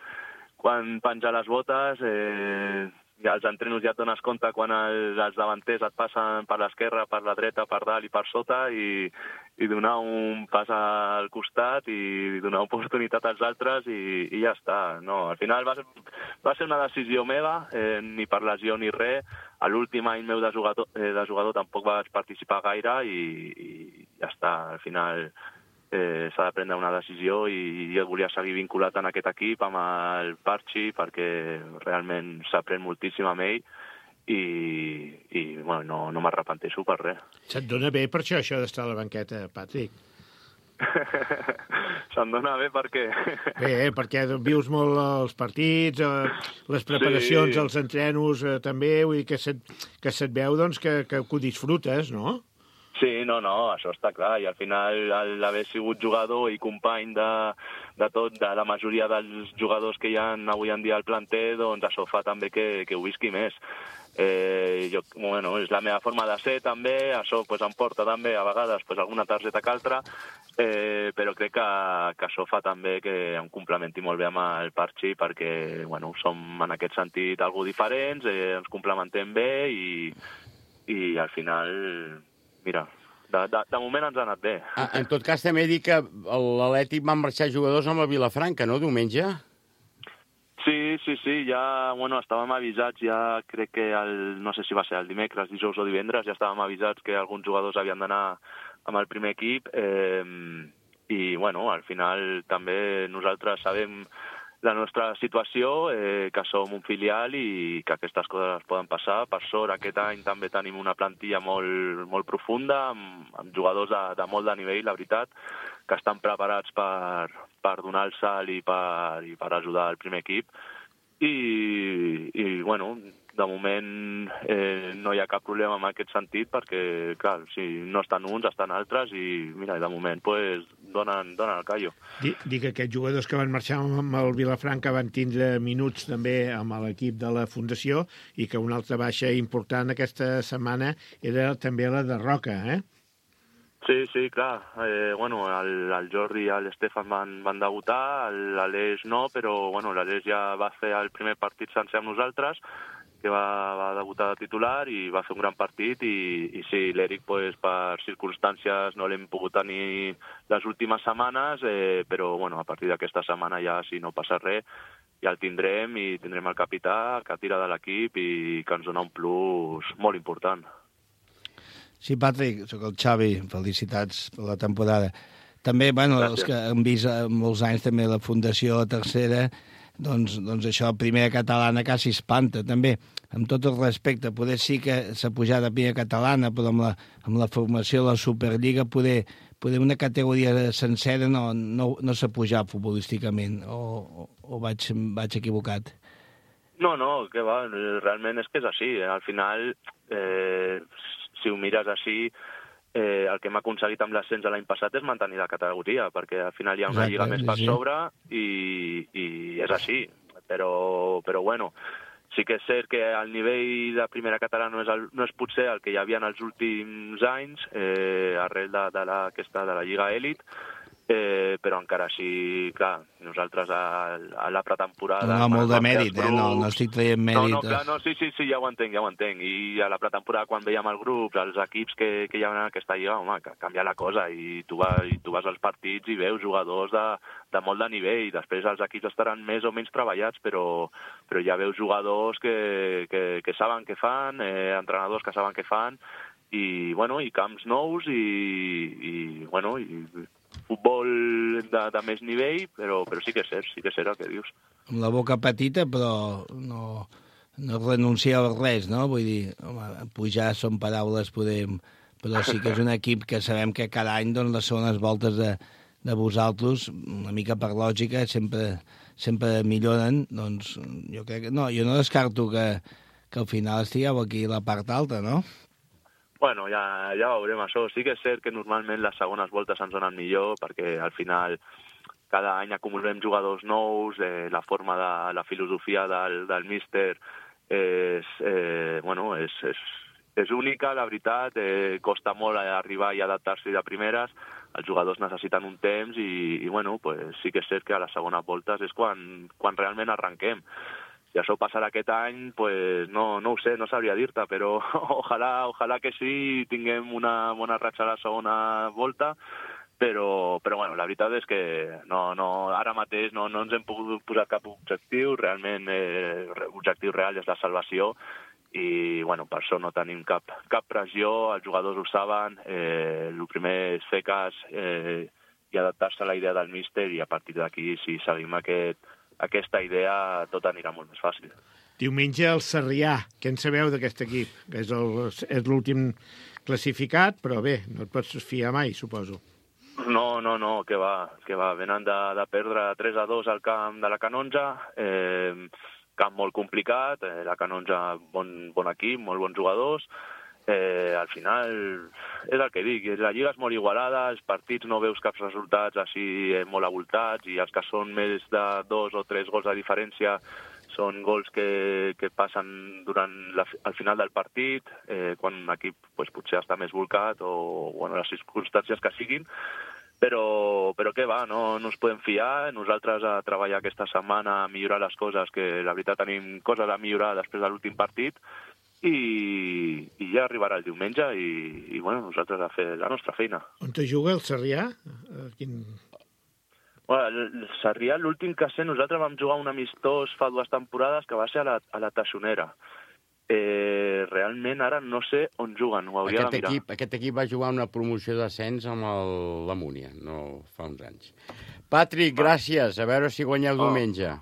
penjar les botes, als entrenos ja et dones compte quan els davanters et passen per l'esquerra, per la dreta, per dalt i per sota i donar un pas al costat i donar oportunitat als altres i ja està. No, al final va ser una decisió meva, ni per lesió ni res. A l'últim any meu de jugador tampoc vaig participar gaire i ja està. Al final s'ha de prendre una decisió i jo volia seguir vinculat en aquest equip amb el Parchi perquè realment s'aprèn moltíssim amb ell i bueno, no m'arrepenteixo per res. Se't dona bé per això d'estar a la banqueta, Patrick? Se'm dona bé per què? Bé, perquè vius molt els partits, les preparacions, sí. Els entrenos també, vull dir que se't veu doncs, que ho disfrutes, no? Sí, no, això està clar, i al final l'haver sigut jugador i company de tot, de la majoria dels jugadors que hi ha avui en dia al planter, doncs això fa també que ho visqui més. És la meva forma de ser també, això em porta també a vegades alguna targeta que altra, però crec que això fa també que em complementi molt bé amb el Parchi perquè som en aquest sentit algo diferents, ens complementem bé i al final... Mira, de moment ens ha anat bé. En tot cas, també dic que l'Atlètic van marxar jugadors amb la Vilafranca, no, diumenge? Sí, ja, estàvem avisats, ja crec que no sé si va ser el dimecres, dijous o divendres, ja estàvem avisats que alguns jugadors havien d'anar amb el primer equip i, al final també nosaltres sabem la nostra situació, que som un filial i que aquestes coses poden passar. Per sort, aquest any també tenim una plantilla molt profunda, amb jugadors de molt de nivell, la veritat, que estan preparats per donar el salt i per ajudar el primer equip. I bueno, de moment no hi ha cap problema en aquest sentit perquè, clar, si no estan uns, estan altres i, mira, de moment pues, donen el callo. Dic que aquests jugadors que van marxar amb el Vilafranca van tindre minuts també amb l'equip de la Fundació i que una altra baixa important aquesta setmana era també la de Roca, eh? Sí, clar. Bueno, el Jordi i l'Estefan van debutar, l'Aleix no, però bueno, l'Aleix ja va fer el primer partit sencer amb nosaltres, que va debutar de titular i va fer un gran partit i sí, l'Eric pues, per circumstàncies no l'hem pogut tenir les últimes setmanes, però bueno, a partir d'aquesta setmana ja si no passa res ja el tindrem i tindrem el capità que tira de l'equip i que ens dona un plus molt important. Sí, Patrick, sóc el Xavi, felicitats per la temporada. També, bueno, els que han vist molts anys també la Fundació Tercera, doncs això, primera catalana quasi espanta, també. Amb tot el respecte, poder sí que s'ha pujat a primera catalana, però amb la formació de la Superliga, poder una categoria sencera no s'ha pujat futbolísticament, o vaig equivocat? No, que va, realment és que és així. Al final, si ho mires així, el que hem aconseguit amb l'ascens de l'any passat és mantenir la categoria, perquè al final hi ha una lliga més per sobre i és així. Però bueno, sí que és cert que el nivell de primera catalana no és potser el que hi havia en els últims anys, arrel de la Lliga Elit, però encara així, clar, nosaltres a la pretemporada... No, molt de mèrit, no estic traient mèrit. No, clar, sí, ja ho entenc. I a la pretemporada, quan veiem el grup, els equips que hi ha en aquesta lliga, home, que canvia la cosa, i tu vas als partits i veus jugadors de molt de nivell, i després els equips estaran més o menys treballats, però ja veus jugadors que saben què fan, entrenadors que saben què fan, i camps nous, i futbol de més nivell, però sí que és cert el que dius. Amb la boca petita, però no renunciar a res, no? Vull dir, home, pujar són paraules, però sí que és un equip que sabem que cada any doncs, les segones voltes de vosaltres, una mica per lògica, sempre milloren, doncs jo crec que... No, jo no descarto que al final estigueu aquí a la part alta, no? Bueno, ja veurem això. Sí que és cert que normalment les segones voltes ens donen millor perquè al final cada any acumulem jugadors nous, la forma de la filosofia del míster és única, la veritat, costa molt arribar i adaptar-se de primeres, els jugadors necessiten un temps i sí que és cert que a les segones voltes és quan realment arrenquem. Si això passarà aquest any, no ho sé, no sabria dir-te, però ojalà que sí, tinguem una bona ratxa a la segona volta, però la veritat és que ara mateix no ens hem pogut posar cap objectiu, realment l'objectiu real és la salvació, i per això no tenim cap pressió, els jugadors ho saben, el primer és fer cas i adaptar-se a la idea del míster, i a partir d'aquí, si seguim aquesta idea, tot anirà molt més fàcil. Diumenge el Sarrià. Què en sabeu d'aquest equip? Que és l'últim classificat, però bé, no et pots fiar mai, suposo. No, que va. Venen de perdre 3-2 al camp de la Canonja, camp molt complicat, la Canonja bon equip, molt bons jugadors. Al final és el que dic, la lliga és molt igualada, els partits no veus cap resultats així molt avoltats, i els que són més de 2 o 3 gols de diferència són gols que passen al final del partit, quan un equip potser està més volcat o les circumstàncies que siguin, però què va, no ens podem fiar. Nosaltres a treballar aquesta setmana a millorar les coses, que la veritat tenim coses a millorar després de l'últim partit, i ja arribarà el diumenge i nosaltres a fer la nostra feina. On te juga el Sarrià? El Sarrià, l'últim que sé, nosaltres vam jugar un amistós fa 2 temporades que va ser a la Taixonera. Realment ara no sé on juguen, ho hauria de mirar. Aquest equip va jugar una promoció d'ascens amb la Múnia, no fa uns anys. Patrick, gràcies, a veure si guanyeu diumenge.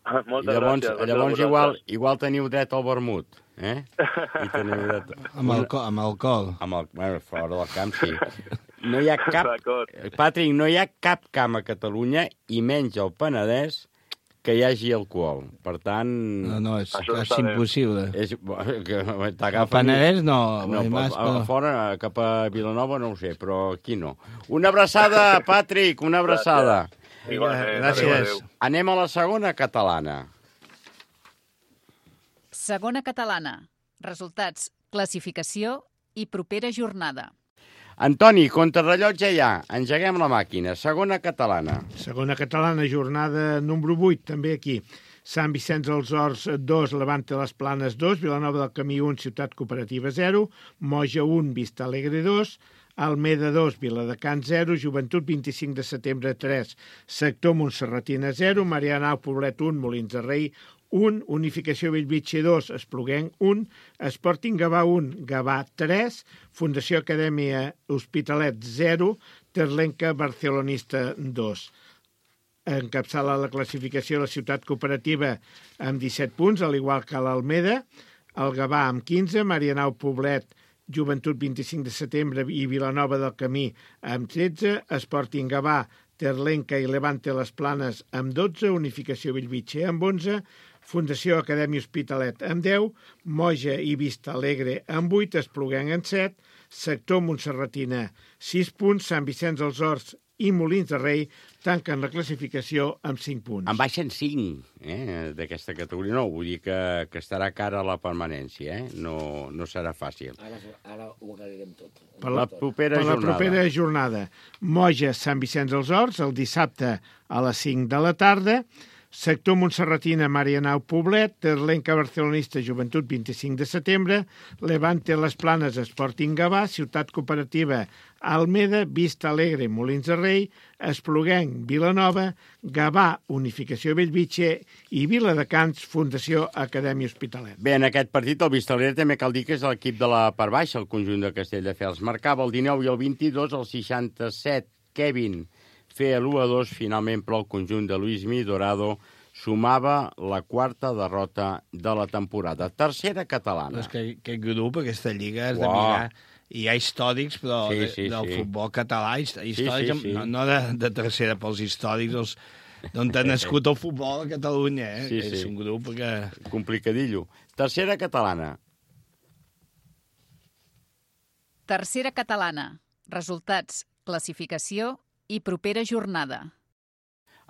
Moltes gràcies. Llavors igual teniu dret al vermut, eh? I teniu dret... Amb alcohol. Bueno, fora del camp, sí. No hi ha cap... Patrick, no hi ha cap camp a Catalunya, i menys al Penedès, que hi hagi alcohol. Per tant... No, és impossible. Al Penedès no. Fora, cap a Vilanova, no ho sé, però aquí no. Una abraçada, Patrick, una abraçada. Gràcies. Anem a la segona catalana. Segona catalana. Resultats, classificació i propera jornada. Antoni, contrarrellotge ja. Engeguem la màquina. Segona catalana. Segona catalana, jornada número 8, també aquí. Sant Vicenç dels Horts 2, Levante les Planes 2, Vilanova del Camí 1, Ciutat Cooperativa 0, Moja 1, Vista Alegre 2, Almeda 2, Viladecans 0, Joventut 25 de setembre 3, Sector Montserratina 0, Marianao Poblet 1, Molins de Rei 1, Unificació Bellvitge 2, Espluguenc 1, Sporting Gavà 1, Gavà 3, Fundació Acadèmia Hospitalet 0, Terlenca Barcelonista 2. Encapçala la classificació la Ciutat Cooperativa amb 17 punts, al igual que l'Almeda, el Gavà amb 15, Marianao Poblet, Joventut 25 de setembre i Vilanova del Camí amb 13, Sporting Gavà, Terlenca i Levante les Planes amb 12, Unificació Bellvitge amb 11, Fundació Acadèmia Hospitalet amb 10, Moja i Vista Alegre amb 8, Espluguenc amb 7, Sector Montserratina 6 punts, Sant Vicenç dels Horts i Molins de Rei tanquen la classificació amb 5 punts. En baixen 5 d'aquesta categoria. No, vull dir que estarà cara a la permanència, no serà fàcil. Ara ho aclarirem tot. Per la propera jornada. Moja, Sant Vicenç dels Horts, el dissabte a les 5 de la tarda. Sector Montserratina, Marianao Poblet, Terlenca Barcelonista, Joventut 25 de setembre, Levante les Planes, Sporting Gavà, Ciutat Cooperativa, Almeda, Vista Alegre, Molins de Rei, Espluguenc, Vilanova, Gavà, Unificació Bellvitge i Viladecans, Fundació Acadèmia Hospitalet. Bé, en aquest partit el Vista Alegre també cal dir que és l'equip de la part baixa, el conjunt de Castelldefels. Marcava el 19 i el 22, el 67, Kevin feia l'1-2, finalment, però el conjunt de Luismi Dorado sumava la quarta derrota de la temporada. Tercera catalana. Però és que aquest grup, aquesta lliga, és de mirar... Hi ha històrics, però del futbol català, històrics, no de tercera pels històrics, d'on ha nascut el futbol a Catalunya. És un grup que... Complicadillo. Tercera catalana. Tercera catalana. Resultats, classificació i propera jornada.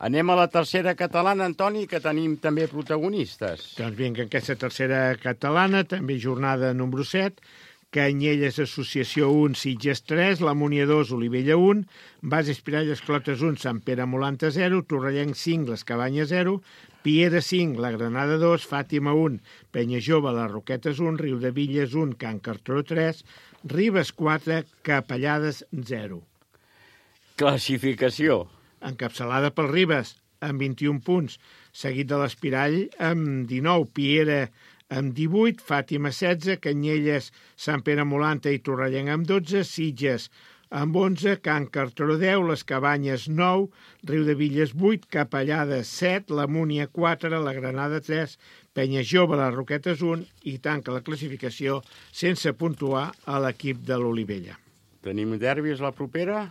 Anem a la tercera catalana, Antoni, que tenim també protagonistes. Doncs vinga, aquesta tercera catalana, també jornada número 7, Canyelles Associació 1, Sitges 3, La Múnia 2, Olivella 1, Bases Piralles Clotes 1, Sant Pere Molanta 0, Torrellenc 5, Les Cabanyes 0, Piera 5, La Granada 2, Fàtima 1, Penya Jove, Les Roquetes 1, Riudevilles 1, Can Cartró 3, Ribes 4, Capellades 0. Classificació. Encapçalada pel Ribes, amb 21 punts, seguit de l'Espirall amb 19, Piera amb 18, Fàtima 16, Canyelles, Sant Pere Molanta i Torrellenc amb 12, Sitges amb 11, Can Cartró 10, Les Cabanyes 9, Riudevilles 8, Capellades 7, La Múnia 4, La Granada 3, Penya Jove, Les Roquetes 1 i tanca la classificació sense puntuar a l'equip de l'Olivella. Tenim derbis la propera?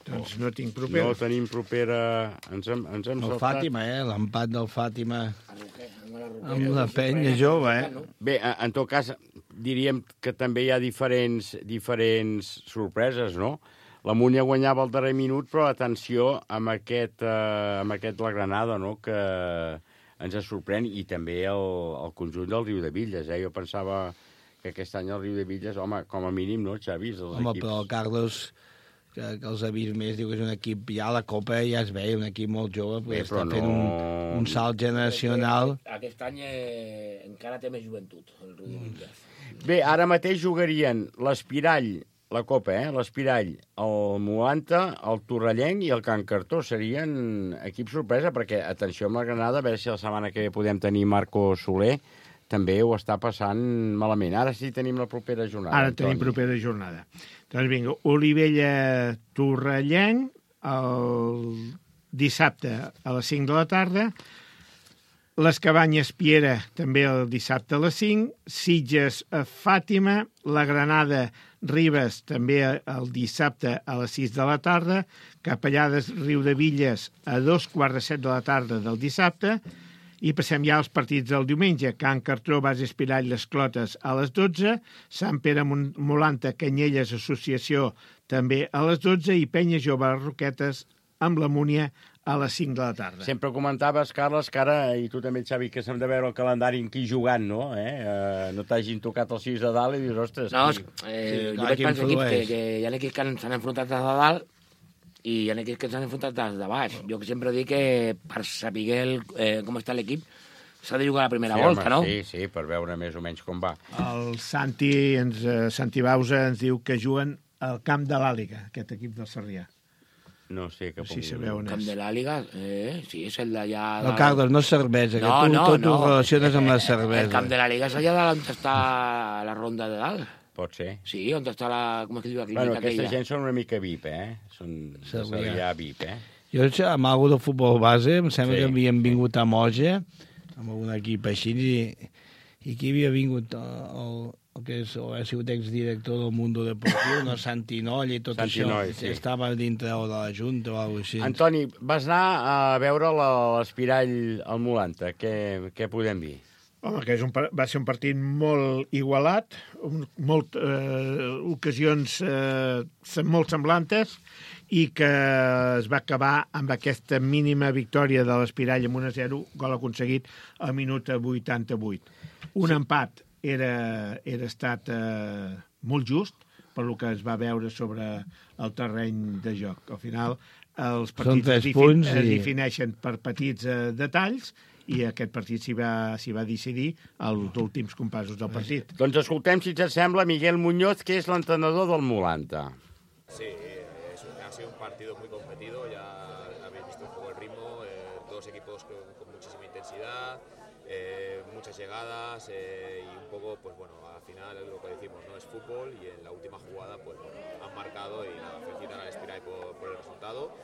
Doncs no tinc propera. No tenim propera... Ens hem el saltat. Fàtima, l'empat del Fàtima amb la Penya Jove, Bé, en tot cas, diríem que també hi ha diferents sorpreses, no? La Múnia guanyava al darrer minut, però atenció amb aquest la Granada, no?, que ens sorprèn, i també el conjunt del Riudevilles, Jo pensava que aquest any el Riudevilles, home, com a mínim, no, Xavi? Home, però el Carlos... que els ha vist més, diu que és un equip, ja a la Copa ja es veia, un equip molt jove, però està fent un salt generacional. Aquest any encara té més joventut, el Riudevilles. Bé, ara mateix jugarien l'Espirall, la Copa, l'Espirall, el Molanta, el Torrellenc i el Can Cartró. Serien equips sorpresa, perquè, atenció amb la Granada, a veure si la setmana que ve podem tenir Marco Soler, també ho està passant malament. Ara sí tenim la propera jornada. Ara tenim propera jornada. Doncs vinga, Olivella-Torrellenc, el dissabte a les 5 de la tarda, Les Cabanyes Piera, també el dissabte a les 5. Sitges Fàtima. La Granada Ribes, també el dissabte a les 6 de la tarda. Capellades Riudevilles a 2:15 de la tarda del dissabte. I passem ja als partits del diumenge. Can Cartró, Base Espirall, Les Clotes a les 12. Sant Pere Molanta, Canyelles Associació també a les 12. I Penya Jove Roquetes amb la Múnia a les 5 de la tarda. Sempre comentaves, Carles, que ara, i tu també, Xavi, que s'hem de veure el calendari en qui jugant, no? No t'hagin tocat els 6 de dalt i dius, ostres... No, jo vaig pensar que hi ha equips que s'han enfrontat des de dalt i hi ha equips que s'han enfrontat des de baix. Jo sempre dic que per saber com està l'equip s'ha de jugar a la primera volta, no? Sí, per veure més o menys com va. El Santi Bausa ens diu que juguen al camp de l'Àliga, aquest equip del Sarrià. No sé cap on... Sí, sabeu on és. Camp de l'Àliga, sí, és el d'allà... No, Carles, no és cervesa, que tu tot ho relaciones amb la cervesa. El Camp de l'Àliga és allà on està la ronda de dalt. Pot ser. Sí, on està la... Com es diu la clínica bueno, aquesta aquella? gent són una mica VIP, Són Sarrià VIP, Jo, amb algú de futbol base, em sembla que havien vingut a Moja, amb algun equip així, i aquí havia vingut el que és, o ha sigut exdirector del Mundo Deportiu, no, Santinoll i tot Santinoll, això, sí. Estava dintre de la Junta o alguna cosa així. Antoni, vas anar a veure l'Espirall al Molanta. Què podem dir? Home, que va ser un partit molt igualat, ocasions molt semblantes, i que es va acabar amb aquesta mínima victòria de l'Espirall amb 1-0, gol aconseguit al minut 88. Un empat era estat molt just per lo que es va veure sobre el terreny de joc. Al final, els partits es defineixen per petits detalls i aquest partit s'hi va decidir als últims compassos del partit. Doncs escoltem, si et sembla, Miguel Muñoz, que és l'entrenador del Molanta. Sí, ha sido un partido muy competido, ya habéis visto un poco el ritmo, dos equipos con muchísima intensidad, muchas llegadas y un poco, pues bueno, al final es lo que decimos, no es fútbol y en la última jugada pues bueno, han marcado y nada, felicitar al Espirall por el resultado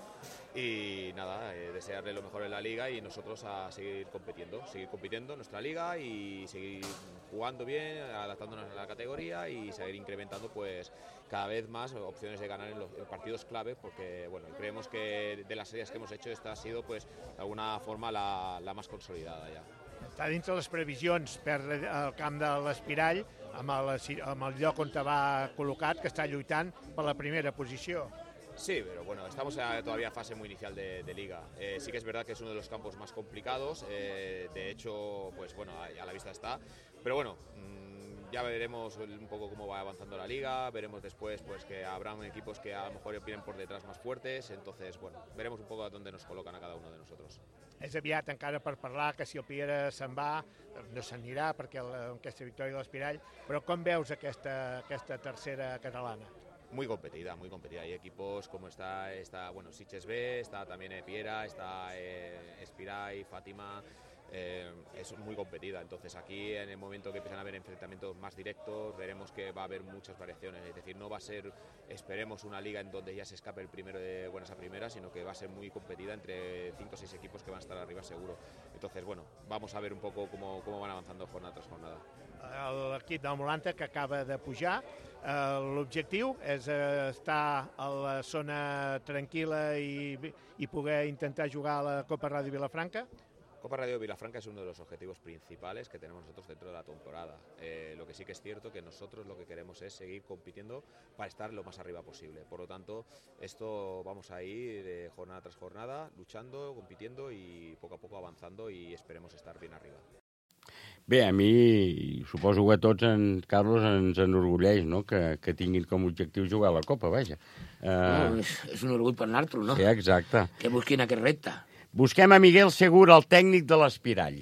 y nada, desearle lo mejor en la liga y nosotros a seguir compitiendo en nuestra liga y seguir jugando bien, adaptándonos a la categoría y seguir incrementando pues cada vez más opciones de ganar en partidos clave porque bueno, creemos que de las series que hemos hecho esta ha sido pues de alguna forma la más consolidada ya. Està dins de les previsions per al camp de l'Espirall amb el lloc on va col·locat, que està lluitant per la primera posició. Sí, pero bueno, estamos todavía en fase muy inicial de liga. Sí que es verdad que es uno de los campos más complicados, de hecho, pues bueno, a la vista está. Pero bueno, ya veremos un poco cómo va avanzando la liga, veremos después pues que habrá equipos que a lo mejor vienen por detrás más fuertes, entonces bueno, veremos un poco a dónde nos colocan a cada uno de nosotros. És aviat encara per parlar que si el Piera se'n va, no se'n anirà perquè aquesta victòria de l'Espirall, però com veus aquesta tercera catalana? Muy competida. Hay equipos como está bueno, Sitges B, está también Piera, está Espirall, Fátima. Es muy competida, entonces aquí en el momento que empiezan a haber enfrentamientos más directos veremos que va a haber muchas variaciones, es decir, no va a ser, esperemos, una liga en donde ya se escape el primero de buenas a primeras, sino que va a ser muy competida entre 5 o 6 equipos que van a estar arriba seguro. Entonces, bueno, vamos a ver un poco cómo van avanzando jornada tras jornada. L'equip del Molanta que acaba de pujar, l'objectiu és estar a la zona tranquil·la i poder intentar jugar a la Copa Ràdio Vilafranca. Copa Radio Vilafranca es uno de los objetivos principales que tenemos nosotros dentro de la temporada. Lo que sí que es cierto que nosotros lo que queremos es seguir compitiendo para estar lo más arriba posible. Por lo tanto, esto vamos a ir jornada tras jornada, luchando, compitiendo y poco a poco avanzando y esperemos estar bien arriba. Bé, a mi, suposo que a tots, Carlos, ens enorgulleix, no?, que tinguin com a objectiu jugar a la Copa, vaja. No, és un orgull per nosaltres, no? Sí, exacte. Que busquin aquest repte. Busquem a Miguel Segur, el tècnic de l'Espirall.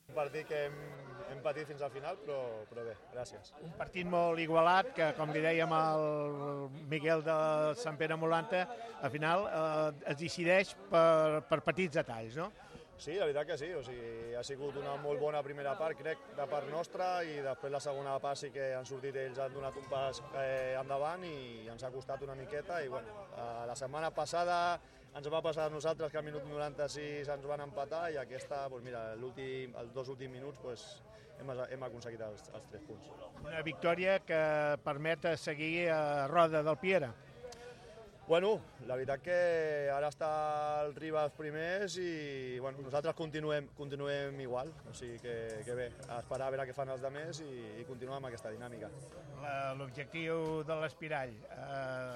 Un partit que hem patit fins al final, però bé, gràcies. Un partit molt igualat, que com li dèiem al Miguel de Sant Pere Molanta, al final es decideix per petits detalls, no? Sí, la veritat que sí, o sigui, ha sigut una molt bona primera part, crec, de part nostra, i després la segona part sí que han sortit ells, han donat un pas endavant i ens ha costat una miqueta, i bueno, la setmana passada ens va passar a nosaltres que al minut 96 ens van empatar, i aquesta, doncs mira, els 2 últims minuts doncs, hem aconseguit els 3 punts. Una victòria que permet seguir a roda del Piera. Bueno, la veritat que ara està el Ribas primers i bueno, nosaltres continuem igual, o sigui que bé, a esperar a veure què fan els altres i continuar amb aquesta dinàmica. L'objectiu de l'Espirall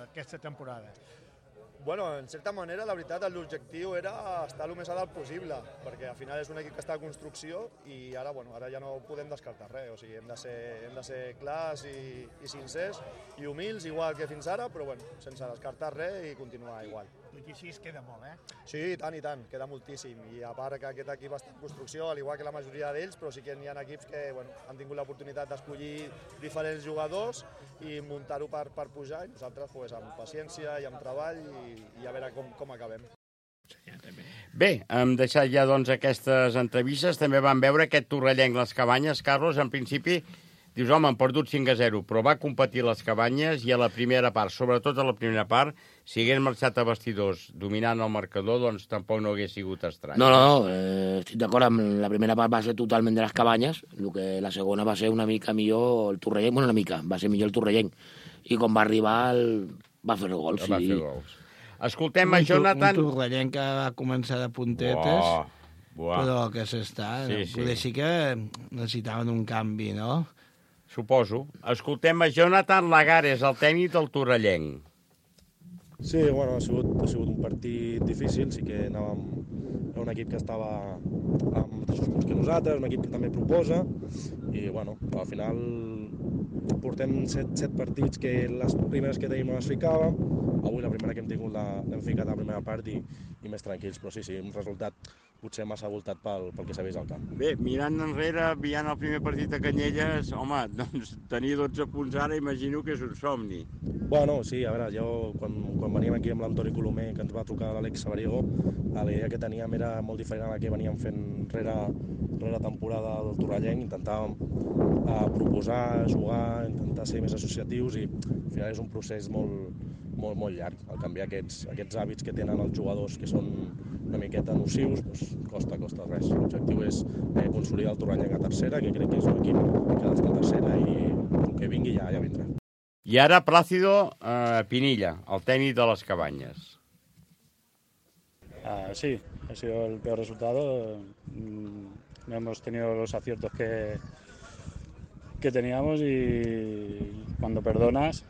aquesta temporada? Bueno, en certa manera, la veritat, l'objectiu era estar el més a dalt possible, perquè al final és un equip que està en construcció i ara, bueno, ara ja no podem descartar res, o sigui, hem de ser clars i sincers i humils, igual que fins ara, però bueno, sense descartar res i continuar igual. Tot i així queda molt, Sí, i tant, queda moltíssim, i a part que aquest equip està en construcció, al igual que la majoria d'ells, però sí que hi ha equips que bueno, han tingut l'oportunitat d'escollir diferents jugadors i muntar-ho per pujar, i nosaltres pues, amb paciència i amb treball i a veure com acabem. Bé, hem deixat ja doncs, aquestes entrevistes. També vam veure aquest torrellenc Les Cabanyes. Carlos, en principi, dius, home, han perdut 5-0, però va competir Les Cabanyes i a la primera part, sobretot a la primera part, si hagués marxat a vestidors dominant el marcador, doncs tampoc no hagués sigut estrany. No, estic d'acord amb la primera part va ser totalment de Les Cabanyes, el que la segona va ser una mica millor el torrellenc, bueno, una mica, va ser millor el torrellenc, i quan va arribar va fer gols. Va fer gols. Escoltem a Jonathan... Un torrellenc que va començar de puntetes, però que s'està... Poder sí que necessitaven un canvi, no? Suposo. Escoltem a Jonathan Lagares, el tècnic del torrellenc. Sí, bueno, ha sigut un partit difícil, sí que anàvem a un equip que estava amb mateixos punts que nosaltres, un equip que també proposa, i bueno, al final portem 7 partits que les primeres que tenim no les ficàvem, avui la primera que hem tingut l'hem ficat a la primera part i més tranquils, però sí, un resultat potser massa voltat pel que s'ha vist al camp. Bé, mirant enrere, veient el primer partit a Canyelles, home, doncs tenir 12 punts ara imagino que és un somni. Bueno, sí, a veure, jo quan veníem aquí amb l'Antoni Colomer, que ens va trucar l'Àlex Sabariego, la idea que teníem era molt diferent a la que veníem fent rere temporada del torrellenc, intentàvem proposar, jugar, intentar ser més associatius i al final és un procés molt llarg. Al canviar aquests hàbits que tenen els jugadors que són una miqueta nocius, doncs costa res. L'objectiu és consolidar el torrellenc a tercera, que crec que és un equip que ha d'estar a tercera i el que vingui ja vindrà. I ara Plácido Pinilla, el tècnic de Les Cabanyes. Sí, ha sido el peor resultado. No hemos tenido los aciertos que teníamos y cuando perdonas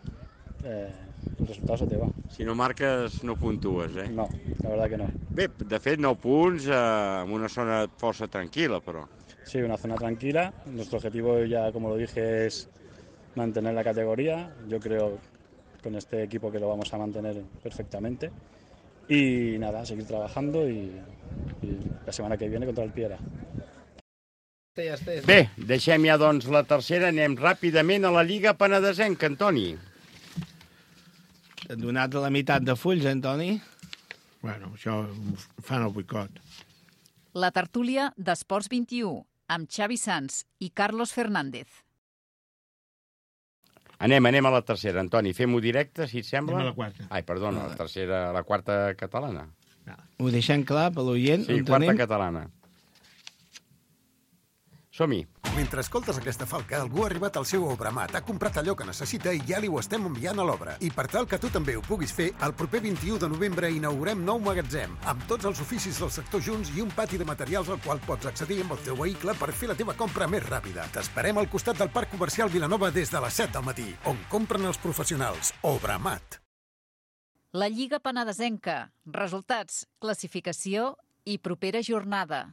el resultado se te va. Si no marques no puntues, No, la verdad que no. Bé, de fet 9 punts en una zona força tranquil·la, però. Sí, una zona tranquila. Nuestro objetivo ya, como lo dije, es mantener la categoría. Yo creo con este equipo que lo vamos a mantener perfectamente. Y nada, seguir trabajando y la semana que viene contra el Piera. Bé, deixem ja doncs la tercera, anem ràpidament a la Lliga Penedesenca, Antoni. T'han donat la meitat de fulls, Antoni? Bueno, això fan el boicot. La tertúlia d'Esports 21, amb Xavi Sans i Carlos Fernández. Anem a la tercera, Antoni. Fem-ho directe, si et sembla? Anem a la quarta. Ai, perdona, la tercera, la quarta catalana. Ho deixem clar per l'oient? Sí, quarta catalana. Som-hi. Mentre escoltes aquesta falca, algú ha arribat al seu Obramat, ha comprat allò que necessita i ja li ho estem enviant a l'obra. I per tal que tu també ho puguis fer, el proper 21 de novembre inaugurem nou magatzem, amb tots els oficis del sector junts i un pati de materials al qual pots accedir amb el teu vehicle per fer la teva compra més ràpida. T'esperem al costat del Parc Comercial Vilanova des de les 7 del matí, on compren els professionals. Obramat. La Lliga Penedesenca. Resultats, classificació i propera jornada.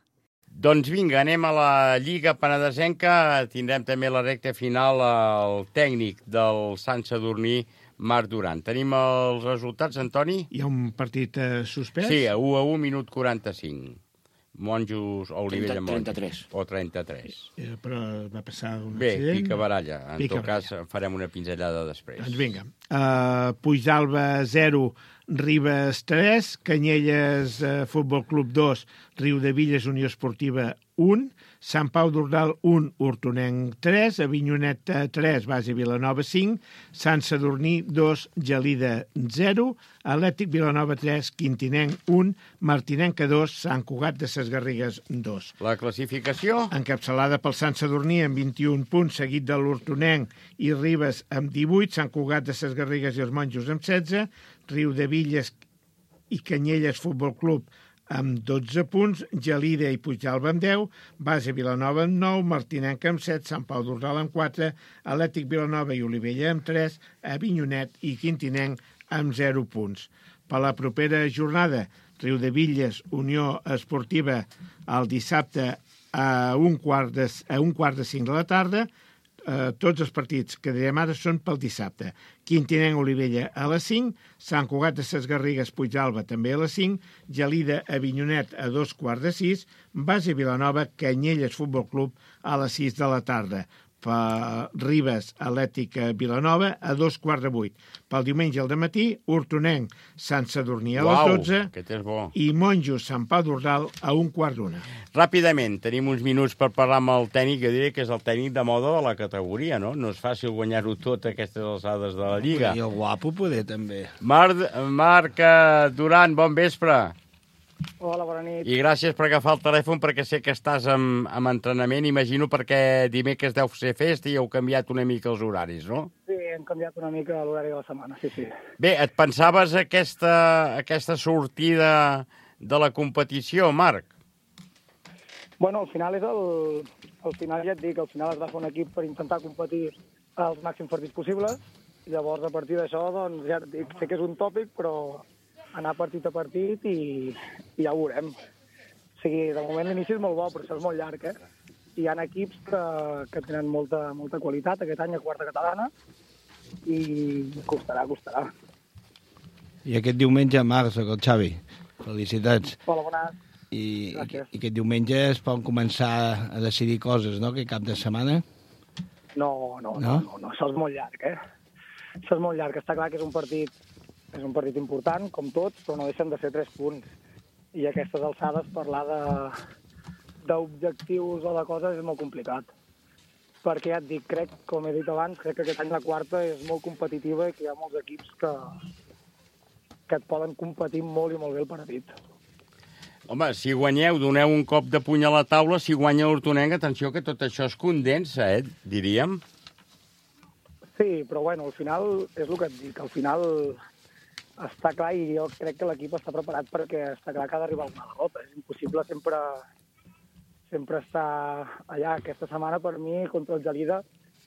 Doncs vinga, anem a la Lliga Penedesenca. Tindrem també la recta final al tècnic del Sant Sadurní, Marc Duran. Tenim els resultats, Antoni? Hi ha un partit suspès? Sí, 1-1, minut 45. Monjos o Olivella Monjos? 33. O 33. Però va passar un Bé, accident. pica baralla. En tot cas, farem una pinzellada després. Doncs vinga. Puigdàlber 0, Ribes 3, Canyelles Futbol Club 2, Riudevilles Unió Esportiva 1, Sant Pau d'Ordal 1, Hortonenc 3, Avinyonet 3, Base Vilanova 5, Sant Sadurní 2, Gelida 0, Atlètic Vilanova 3, Quintinenc 1, Martinenca 2, Sant Cugat de Ses Garrigues 2. La classificació? Encapçalada pel Sant Sadurní amb 21 punts, seguit de l'Hortonenc i Ribes amb 18, Sant Cugat de Ses Garrigues i els Monjos amb 16, Riudevilles i Canyelles Futbol Club amb 12 punts, Gelida i Puigdàlber amb 10, Base Vilanova amb 9, Martinenc amb 7, Sant Pau d'Ordal amb 4, Atlètic Vilanova i Olivella amb 3, Avinyonet i Quintinenc amb 0 punts. Per la propera jornada, Riudevilles, Unió Esportiva, el dissabte a un quart de 5 de la tarda. Tots els partits que direm ara són pel dissabte. Quintinenc, Olivella a les 5, Sant Cugat de Ses Garrigues, Puigdàlber també a les 5, Gelida, Avinyonet a 2:15, Base Vilanova, Canyelles Futbol Club a les 6 de la tarda. Per Ribes, Atlètic Vilanova a 7:15. Pel diumenge al dematí, Hortonenc, Sant Sadurní a les 12 aquest és bo. i Monjos, Sant Pau d'Ordal a 1:15. Ràpidament, tenim uns minuts per parlar amb el tècnic, jo diria que és el tècnic de moda de la categoria, no? No és fàcil guanyar-ho tot a aquestes alçades de la Lliga. I el guapo poder també. Marc Duran, bon vespre. Hola, bona nit. I gràcies per agafar el telèfon, perquè sé que estàs amb entrenament, imagino, perquè dimecres deu ser festa i heu canviat una mica els horaris, no? Sí, hem canviat una mica l'horari de la setmana, sí, sí. Bé, et pensaves aquesta sortida de la competició, Marc? Bueno, al final al final ja et dic, al final es va fer un equip per intentar competir als màxims partits possibles. Llavors, a partir d'això, doncs, ja et dic, sé que és un tòpic, però anar partit a partit i ja ho veurem. O sigui, de moment l'inici és molt bo, però això és molt llarg, eh? Hi ha equips que tenen molta qualitat aquest any a quarta catalana i costarà. I aquest diumenge, Marc, soc el Xavi. Felicitats. Hola, bones. I aquest diumenge es poden començar a decidir coses, no?, aquest cap de setmana? No, això és molt llarg, eh? Això és molt llarg. Està clar que és un partit important, com tots, però no deixen de ser 3 punts. I a aquestes alçades parlar d'objectius o de coses és molt complicat. Perquè ja et dic, com he dit abans, crec que aquest any la quarta és molt competitiva i que hi ha molts equips que et poden competir molt i molt bé el partit. Home, si guanyeu, doneu un cop de puny a la taula, si guanya l'Hortonenc, atenció que tot això es condensa, diríem. Sí, però bueno, al final és el que et dic, al final està clar i jo crec que l'equip està preparat perquè està clar que ha d'arribar alguna derrota. És impossible sempre estar allà. Aquesta setmana, per mi, contra el Gelida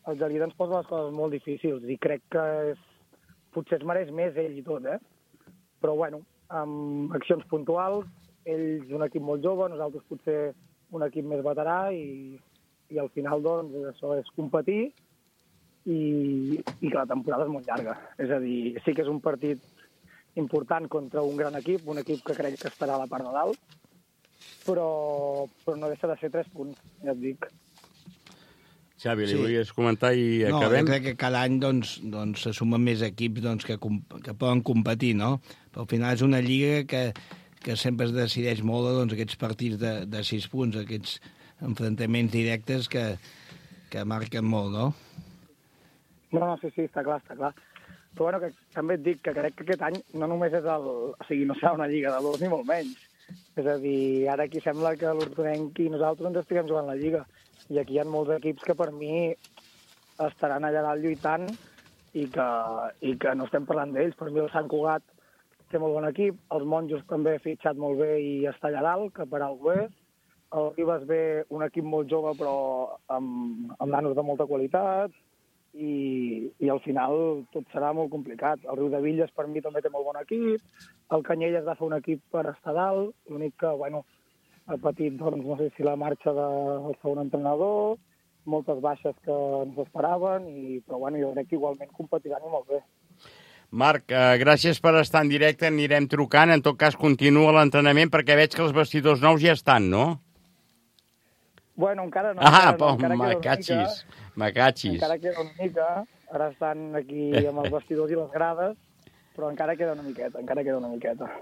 ens posa les coses molt difícils i crec que potser es mereix més ell i tot, Però, bueno, amb accions puntuals, ells un equip molt jove, nosaltres potser un equip més veterà i al final, doncs, això és competir i que la temporada és molt llarga. És a dir, sí que és un partit important contra un gran equip, un equip que crec que estarà a la part de dalt, però no deixa de ser 3 punts, ja et dic. Xavi, li volies comentar i acabem? No, jo crec que cada any se sumen més equips que poden competir, no? Però al final és una lliga que sempre es decideix molt aquests partits de 6 punts, aquests enfrontaments directes que marquen molt, no? No, sí, està clar. Però bueno, que també et dic que crec que aquest any no només és o sigui, no serà una lliga de 2 ni molt menys. És a dir, ara aquí sembla que l'Hortonenc i nosaltres ens estiguem jugant la lliga. I aquí hi ha molts equips que per mi estaran allà dalt lluitant i que no estem parlant d'ells. Per mi el Sant Cugat té molt bon equip, els Monjos també ha fitxat molt bé i està allà dalt, que per algú és. El Ribes ve un equip molt jove però amb nanos de molta qualitat i al final tot serà molt complicat. El Riudevilles per mi també té molt bon equip, el Canyelles va fer un equip per estar dalt, l'únic que, bueno, ha patit, doncs, no sé si la marxa del segon entrenador, moltes baixes que ens esperaven, però bueno, jo crec que igualment competiran i molt bé. Marc, gràcies per estar en directe, anirem trucant. En tot cas, continua l'entrenament, perquè veig que els vestidors nous ja estan, no? Bueno, encara no. Macachis. Encara queda una mica. Ara estan aquí amb els vestidors i les grades, però encara queda una miqueta.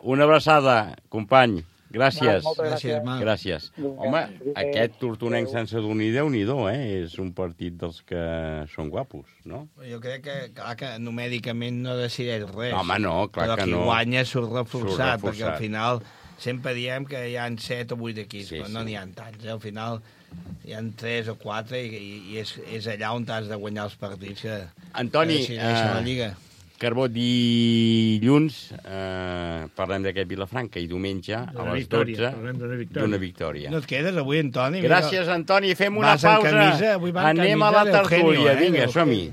Una abraçada, company. Gràcies. Moltes gràcies. Gràcies. Home, aquest tortonenc sense dormir, Déu-n'hi-do, és un partit dels que són guapos, no? Jo crec que, clar, que numèricament no decideix res. Home, no, clar que no. Però qui guanya surt reforçat, perquè al final sempre diem que hi ha 7 o 8 equips, però no n'hi ha tants. Al final hi ha 3 o 4 i és allà on has de guanyar els partits que decideixen la Lliga. Carbó, dilluns parlem d'aquest Vilafranca i diumenge a les 12 d'una victòria. No et quedes avui, Antoni? Gràcies, Antoni. Fem una pausa. Anem a la tertúlia. Vinga, som-hi.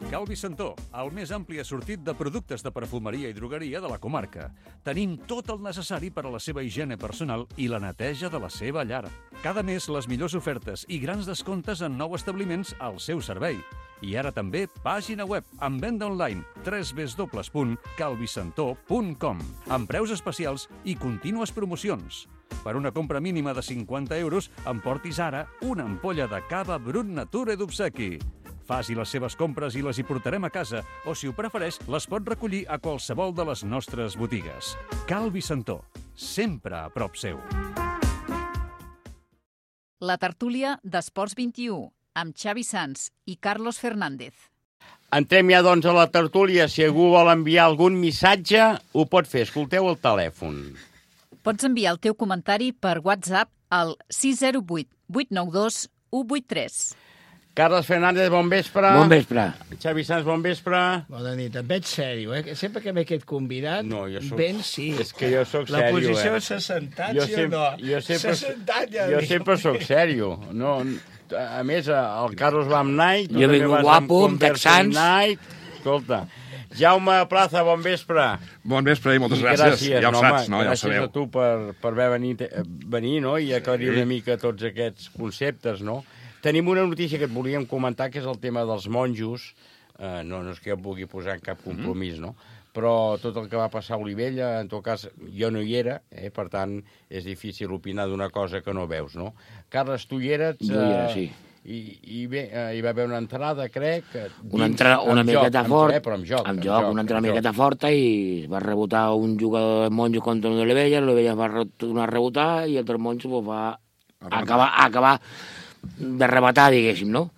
Calvi Santó, el més ampli assortit de productes de perfumeria i drogueria de la comarca. Tenim tot el necessari per a la seva higiene personal i la neteja de la seva llar. Cada mes les millors ofertes i grans descomptes en nous establiments al seu servei. I ara també pàgina web amb venda online www.calvisantó.com amb preus especials i contínues promocions. Per una compra mínima de 50 euros, emportis ara una ampolla de cava Brut Nature d'obsequi. Faci les seves compres i les hi portarem a casa, o si ho prefereix, les pot recollir a qualsevol de les nostres botigues. Calvi Santó, sempre a prop seu. La tertúlia d'Esports 21, amb Xavi Sans i Carlos Fernández. Entrem ja, doncs, a la tertúlia. Si algú vol enviar algun missatge, ho pot fer. Escolteu el telèfon. Pots enviar el teu comentari per WhatsApp al 608 892 183. Carles Fernández, bon vespre. Bon vespre. Xavi Sans, bon vespre. Bona nit. Et veig sèrio, Sempre que m'he aquest convidat, ben sí. És que jo soc sèrio, La posició s'ha sentat, sí o no? S'ha sentat, ja. Jo sempre soc sèrio. No, a més, el Carlos va amb Nike. Jo vinc guapo, amb texans. Escolta, Jaume Plaza, bon vespre. Bon vespre i moltes gràcies. Ja ho saps, no? Ja ho sabeu. Gràcies a tu per haver venir, no? I aclarir una mica tots aquests conceptes, no? Tenim una notícia que et volíem comentar, que és el tema dels monjos. No és que jo pugui posar en cap compromís, no? Però tot el que va passar a Olivella, en tot cas, jo no hi era, per tant, és difícil opinar d'una cosa que no veus, no? Carles, tu hi eres? Jo hi era, sí. I bé, hi va haver una entrada, crec... Una miqueta fort. Però amb joc. Una entrada miqueta forta i va rebotar un jugador de monjos contra un d'Olivella, l'Olivella va tornar a rebotar i el dels monjos va acabar de rematar, diguéssim, no?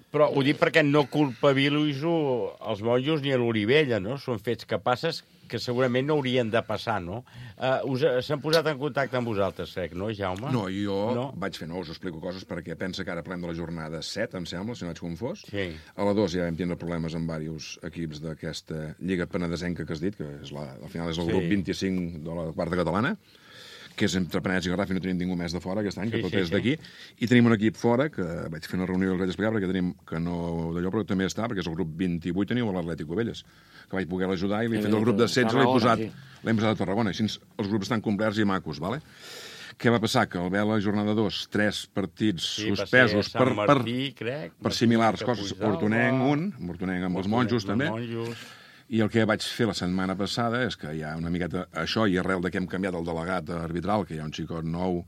Però ho dic perquè no culpabilitzo els monjos ni a l'Olivella, no? Són fets que passes que segurament no haurien de passar, no? S'han posat en contacte amb vosaltres, crec, no, Jaume? No, jo vaig fer us explico coses perquè pensa que ara parlem de la jornada 7, em sembla, si no vaig confós. Sí. A la 2 ja vam tindre problemes amb diversos equips d'aquesta Lliga Penedesenca que has dit, que al final és el grup 25 de la quarta catalana, que és entre Penedès i Garraf i no tenim ningú més de fora aquest any, que tot és d'aquí. I tenim un equip fora, que vaig fer una reunió i els vaig explicar, perquè tenim, que no d'allò, però també està, perquè és el grup 28, teniu l'Atlètic Ovelles, que vaig poder l'ajudar i l'he fet el grup de 16, l'hem posat a Tarragona. Així els grups estan complerts i macos, vale? Què va passar? Que al veure la jornada 2, 3 partits suspesos per similars coses. Hortonenc amb els monjos, també. I el que vaig fer la setmana passada és que hi ha una miqueta això, i arrel de que hem canviat el delegat arbitral, que hi ha un xicot nou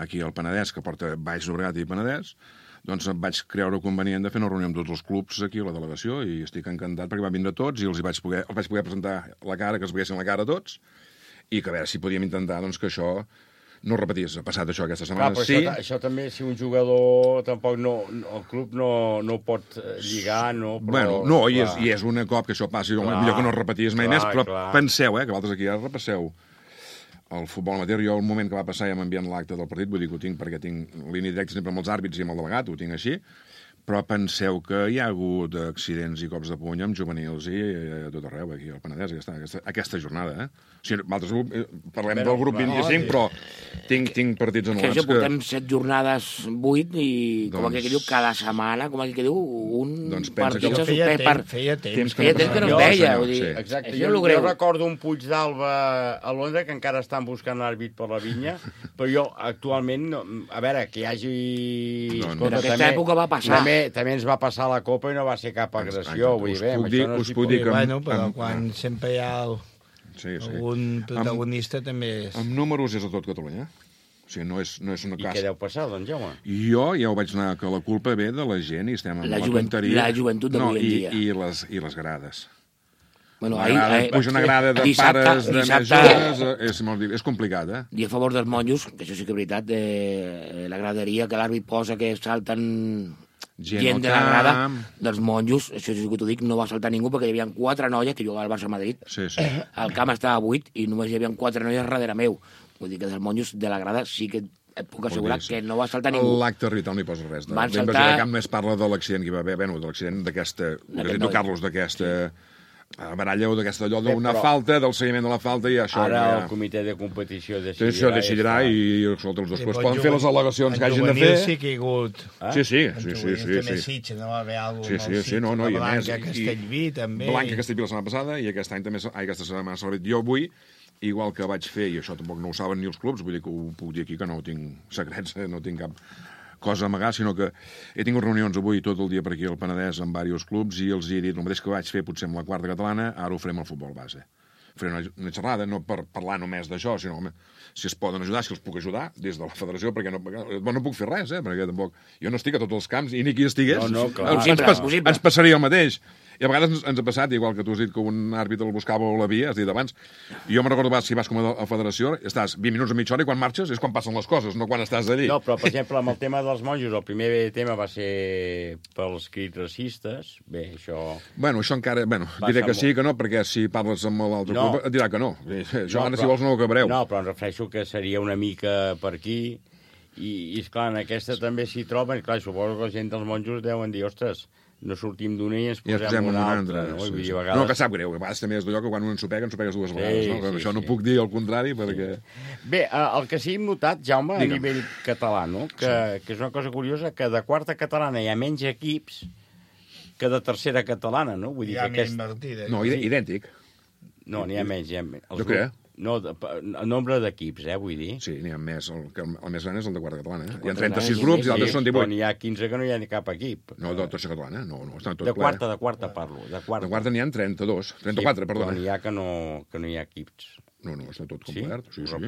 aquí al Penedès, que porta Baix Llobregat i Penedès, doncs em vaig creure convenient de fer una reunió amb tots els clubs aquí a la delegació, i estic encantat perquè van vindre tots i els vaig poder presentar la cara, que es veiessin la cara a tots, i que a veure si podíem intentar doncs, que això no repetís. Ha passat això aquesta setmana. Clar, però això també, si un jugador tampoc el club no pot lligar, no? Bueno, no, i és un cop que això passi, millor que no repetís mai més, però penseu, que vosaltres aquí ja repasseu el futbol amateur. Jo, el moment que va passar, ja m'envien l'acte del partit, vull dir que ho tinc perquè tinc línia directa sempre amb els àrbits i amb el delegat, ho tinc així, però penseu que hi ha hagut accidents i cops de puny amb juvenils i a tot arreu, aquí al Penedès, aquesta jornada, O sigui, parlem del grup 25, però tinc partits anul·lats que... portem 7 jornades, 8, i com aquell que diu, cada setmana, com aquell que diu, un partit se suspèn. Feia temps que no es veia. Exacte, jo recordo un Puig d'Alba a Londres, que encara estan buscant l'àrbit per la vinya, però jo actualment, a veure, que hi hagi... Però aquesta època va passar. també ens va passar la Copa i no va ser cap agressió. Vull dir, us puc dir que... Bueno, però quan sempre hi ha algun protagonista també és... Amb números és a tot Catalunya. O sigui, no és una casa. I què deu passar, doncs, Jaume? Jo ja ho vaig anar, que la culpa ve de la gent i estem amb la tonteria. La joventut d'avui en dia. I les grades. Bueno, puja una grada de pares de més joves, és complicat, eh? I a favor dels monjos, que això sí que és veritat, la graderia que l'àrbit posa que salten gent de la grada, dels monjos, això sí que t'ho dic, no va saltar ningú perquè hi havia 4 noies, que jugava al Barça-Madrid, el camp estava buit i només hi havia 4 noies darrere meu. Vull dir que dels monjos de la grada sí que et puc assegurar que no va saltar ningú. L'acte arbitral no hi posa res. La invasió de camp només parla de l'accident que hi va haver, de l'accident d'aquesta, Carlos, d'aquesta baralla o d'aquesta allò d'una falta, del seguiment de la falta i això... Ara el comitè de competició decidirà... Això decidirà i escolta, els dos clubs poden fer les al·legacions que hagin de fer. En juvenil sí que hi ha hagut... Sí. En juvenil també Sitges, no va haver alguna cosa molt Sitges, no, i a més... Blanca, Castellví, també... Blanca, Castellví la setmana passada i aquest any també, aquesta setmana celebrat. Jo avui, igual que vaig fer, i això tampoc no ho saben ni els clubs, vull dir que ho puc dir aquí, que no tinc secrets, no tinc cap cosa a amagar, sinó que he tingut reunions avui tot el dia per aquí al Penedès amb diversos clubs i els he dit el mateix que vaig fer potser amb la quarta catalana, ara ho farem al futbol base. Farem una xerrada, no per parlar només d'això, sinó si es poden ajudar, si els puc ajudar des de la federació, perquè no puc fer res, perquè tampoc... Jo no estic a tots els camps i ni qui estigués. Ens passaria el mateix. I a vegades ens ha passat, igual que tu has dit que un àrbitre el buscava o l'havia, has dit abans, jo me'n recordo si vas com a federació, estàs 20 minuts a mitja hora i quan marxes és quan passen les coses, no quan estàs allí. No, però, per exemple, amb el tema dels monjos, el primer tema va ser pels crits racistes. Bé, això... Bueno, això encara... Bueno, diré que sí, que no, perquè si parles amb l'altre club et dirà que no. Això ara, si vols, no ho acabareu. No, però em refereixo que seria una mica per aquí i esclar, en aquesta també s'hi troben. Clar, suposo que la gent dels monjos deuen dir, ostres, no sortim d'una i ens posem una altra. No, que sap greu, a vegades també és d'allò que quan un ensopegues dues vegades. Això no puc dir el contrari, perquè... Bé, el que sí hem notat, Jaume, a nivell català, que és una cosa curiosa, que de quarta catalana hi ha menys equips que de tercera catalana, no? Vull dir que no, idèntic. No, n'hi ha menys. Jo crec. No, el nombre d'equips, vull dir. Sí, n'hi ha més. El més gran és el de quarta catalana. Hi ha 36 grups i altres són 18. Però n'hi ha 15 que no hi ha ni cap equip. No, de tercera catalana, no. Estan tot de quarta parlo. De quarta n'hi ha 34, perdona. Però n'hi ha que no hi ha equips. No, està tot complet. Sí? La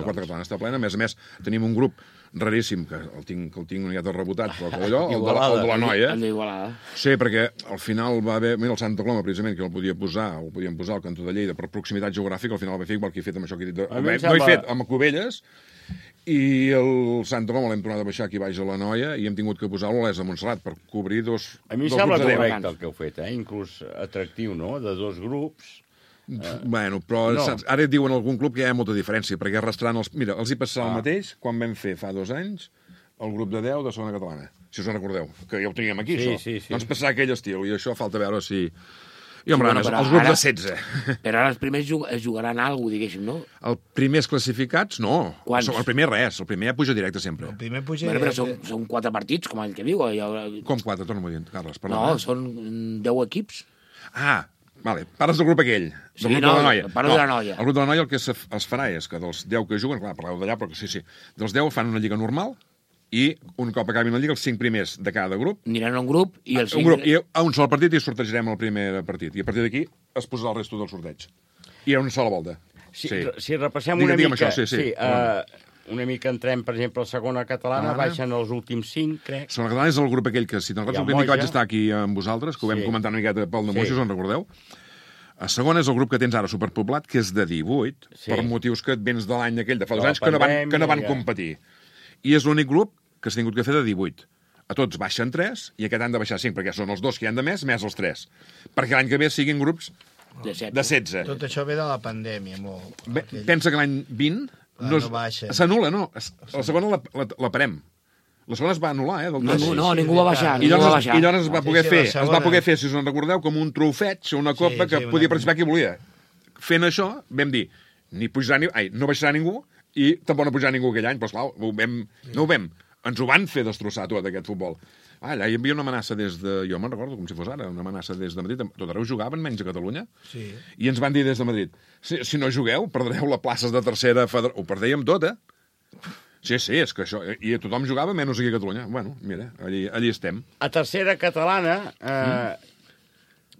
quarta catalana està plena. A més, tenim un grup raríssim, que el tinc una miqueta rebotat, però que allò, el de la noia. El d'Igualada. Sí, perquè al final va haver... Mira, el Santa Coloma, precisament, que el podíem posar al cantó de Lleida per proximitat geogràfica, al final el va fer igual que he fet amb això que he dit. No he fet amb Cubelles, i el Santa Coloma l'hem tornat a baixar aquí baix a la Noia i hem tingut que posar-lo a l'Es de Montserrat per cobrir dos grups de 10. A mi sembla correcte el que heu fet, inclús atractiu, no?, de 2 grups. Bueno, però saps, ara et diuen algun club que hi ha molta diferència, perquè arrastrant els... Mira, els hi passava el mateix quan vam fer fa 2 anys el grup de 10 de segona catalana, si us en recordeu, que ja ho teníem aquí, això. Sí. Doncs passar aquell estil, i això falta veure si... I, home, els grups de 16. Però ara els primers jugaran alguna cosa, diguéssim, no? Els primers classificats, no. Quants? El primer res, el primer ja puja directe sempre. El primer puja directe. Però són 4 partits, com el que diu. Com 4? Torna-m'ho a dir, Carles. No, són 10 equips. Vale, parles del grup aquell, del grup de la Noia. Parlo de la Noia. El grup de la Noia el que es farà és que dels 10 que juguen, clar, parleu d'allà, però sí, dels 10 fan una lliga normal i un cop acabin la lliga, els 5 primers de cada grup... Aniran a un grup i els 5... Un grup, i a un sol partit i sortejarem el primer partit. I a partir d'aquí es posarà el resto del sorteig. I a una sola volta. Si repassem una mica... Una mica entrem, per exemple, a segona catalana, baixen els últims 5, crec. Segona catalana és el grup aquell que, si te'n recordes, el primer que vaig estar aquí amb vosaltres, que ho vam comentar una miqueta pel de Moixos, us en recordeu? A segona és el grup que tens ara superpoblat, que és de 18, per motius que et vens de l'any aquell de fa 2 anys, que no van competir. I és l'únic grup que s'ha tingut que fer de 18. A tots baixen 3, i aquest han de baixar 5, perquè són els 2 que hi han de més els 3. Perquè l'any que ve siguin grups de 16. Tot això ve de la pandèmia, molt. Pensa que l'any 20... s'anul·la, no. La segona la parem. La segona es va anul·lar, No, ningú va baixar. I llavors es va poder fer, si us en recordeu, com un trofeig o una copa que podia participar qui volia. Fent això, vam dir, no baixarà ningú i tampoc no pujarà ningú aquell any, però esclar, no ho vam. Ens ho van fer destrossar tot, aquest futbol. Allà hi havia una amenaça des de... Jo me'n recordo com si fos ara, una amenaça des de Madrid. Tot arreu jugaven, menys a Catalunya. Sí. I ens van dir des de Madrid, si no jugueu, perdreu les places de tercera... Ho perdèiem tot, Sí, és que això... I tothom jugava, menys aquí a Catalunya. Bueno, mira, allí estem. A tercera catalana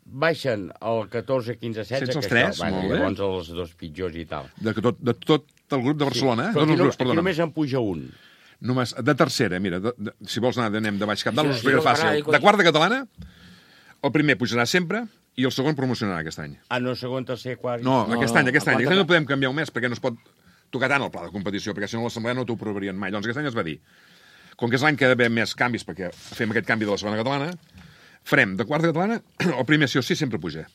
baixen el 14, 15, 16... Sense els tres, molt bé. Llavors els dos pitjors i tal. De tot el grup de Barcelona, Però aquí només en puja un. Només, de tercera, mira, si vols anar, anem de baix cap dalt, us ho explico fàcil. De quarta catalana, el primer pujarà sempre i el segon promocionarà aquest any. No, segon, tercer, quart... No, aquest any. Aquest any no podem canviar un mes perquè no es pot tocar tant el pla de competició, perquè si no l'assemblea no t'ho aprovarien mai. Llavors aquest any es va dir, com que és l'any que hi ha d'haver més canvis, perquè fem aquest canvi de la segona catalana, farem de quarta catalana, el primer sí o sí sempre puja.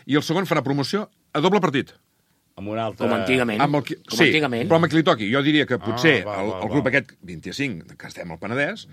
I el segon farà promoció a doble partit. Amb un altre... Com antigament. Sí, però amb el que li toqui. Jo diria que potser el grup aquest 25, que estem al Penedès,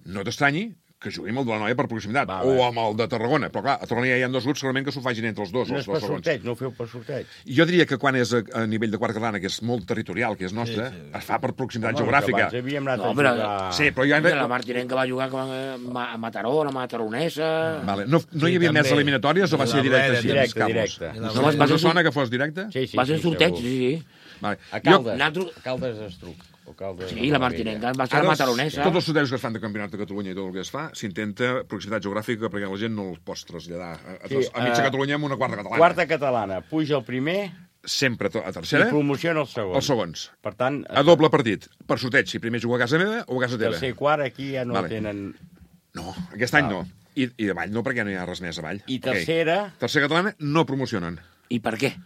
no t'estranyi que jugui amb el de la Noia per proximitat, o amb el de Tarragona. Però clar, a Tarragona ja hi ha dos grups, segurament que s'ho facin entre els dos. No és per sorteig, no ho feu per sorteig. Jo diria que quan és a nivell de quarta catalana, que és molt territorial, que és nostre, es fa per proximitat geogràfica. Abans havíem anat a jugar... Sí, però ja... La Martinenca va jugar a Mataró, a Mataronesa... No hi havia més eliminatòries o va ser directe? Directe. No sona que fos directe? Va ser sorteig, sí. A Caldes Estruc. Sí, la Martinenca va ser a Mataronesa. Tots els sortejos que es fan de Campionat de Catalunya i tot el que es fa, s'intenta proximitat geogràfica perquè la gent no els pots traslladar a mitja Catalunya amb una quarta catalana. Quarta catalana, puja el primer... Sempre a tercera. I promociona el segon. Els segons. Per tant... A doble partit. Per sorteig, si primer juga a casa meva o a casa teva. Tercer i quart aquí ja no tenen... No, aquest any no. I avall no, perquè no hi ha res més avall. I tercera... Tercera catalana no promocionen. I per què?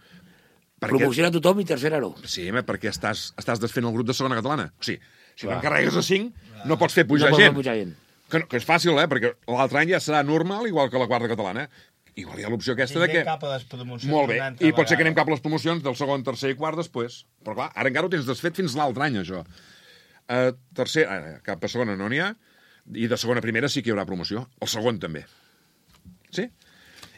Promociona tothom i tercera no. Sí, perquè estàs desfent el grup de segona catalana. O sigui, si t'encarregues a 5, no pots fer pujar gent. Que és fàcil, perquè l'altre any ja serà normal, igual que la quarta catalana. Igual hi ha l'opció aquesta de que... cap a les promocions. Molt bé, i pot ser que anem cap a les promocions del segon, tercer i quart després. Però clar, ara encara ho tens desfet fins l'altre any, això. Cap a segona no n'hi ha, i de segona a primera sí que hi haurà promoció. El segon també. Sí?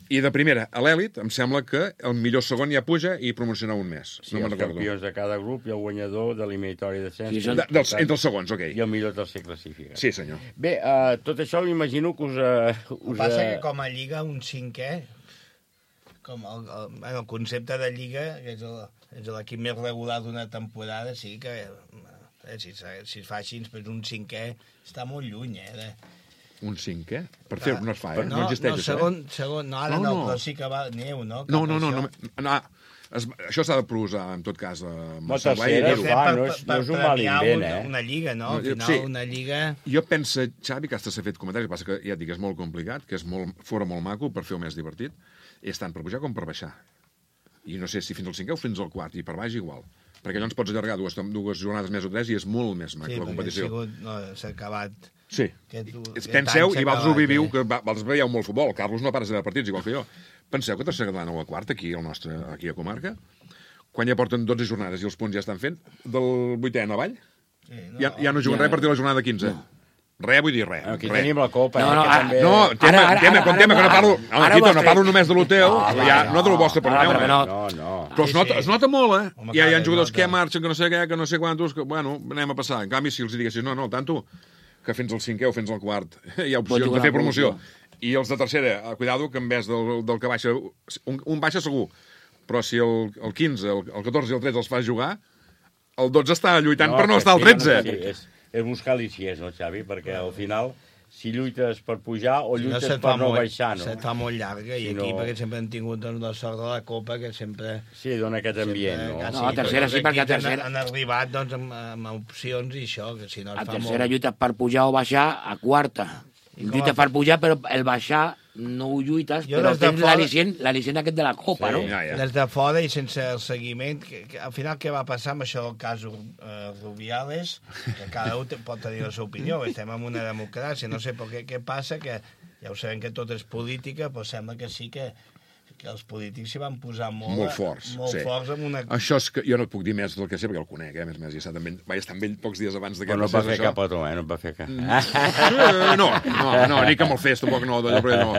I de primera a l'èlit, em sembla que el millor segon ja puja i promociona un més. Sí, els campions de cada grup i el guanyador de l'eliminatori de cens. Entre els segons, ok. I el millor tercer classificat. Sí, senyor. Bé, tot això m'imagino que us... El passa que com a Lliga un cinquè, com el concepte de Lliga, que és l'equip més regular d'una temporada, sí que si es fa així, un cinquè està molt lluny, Un cinquè? Per fer no es fa, no existeix això. Segon, no, ara no, però sí que va neu, no? No, això s'ha de provar, en tot cas, amb el servei. No és un mal invent, una lliga, no? Al final, una lliga... Jo penso, Xavi, que s'ha fet comentaris, passa que ja et dic, és molt complicat, que és fora molt maco per fer-ho més divertit, és tant per pujar com per baixar. I no sé si fins al cinquè o fins al quart, i per baix igual. Perquè llavors pots allargar dues jornades més o tres i és molt més maco la competició. Sí, s'ha acabat... Sí, penseu, i vosaltres ho viviu, que vosaltres veieu molt futbol, el Carlos no para de veure partits igual que jo. Penseu que tercera catalana o a quarta, aquí a comarca, quan ja porten 12 jornades i els punts ja estan fent, del 8è en avall, ja no juguen res a partir de la jornada 15. Res, vull dir res. Aquí tenim la Copa. Tema, que no parlo només de lo teu, no de lo vostre, perdoneu. Però es nota molt, Hi ha jugadors que marxen, que no sé què, que no sé quantos, que, bueno, anem a passar. En canvi, si els diguessis, no, tanto, que fins al cinquè o fins al quart hi ha opcions de fer promoció. I els de tercera, cuidado, que en vez del que baixa, un baixa segur, però si el 15, el 14 i el 13 els fas jugar, el 12 està lluitant per no estar al 13. És buscar l'ICS, no, Xavi? Perquè al final, si lluites per pujar o lluites per no baixar, no? Se't fa molt llarga, i aquí perquè sempre han tingut la sort de la Copa, que sempre... Sí, dona aquest ambient, no? No, a tercera sí, perquè a tercera... Han arribat, amb opcions i això, que si no es fa molt... A tercera lluites per pujar o baixar, a quarta. Lluites per pujar, però el baixar no ho lluites, però tens l'al·licient aquest de la Copa, no? Des de fora i sense el seguiment, que al final què va passar amb això del cas Rubiales, que cada un pot tenir la seva opinió, estem en una democràcia, no sé què passa, que ja ho sabem que tot és política, però sembla que sí que els polítics s'hi van posar molt forts amb una... Això és que jo no et puc dir més del que sé, perquè el conec, a més, ja està amb ell, vaig estar amb ell pocs dies abans d'aquest... Però no va fer cap a tu, no va fer cap. No, ni que me'l fes, tampoc no, d'allò, però no.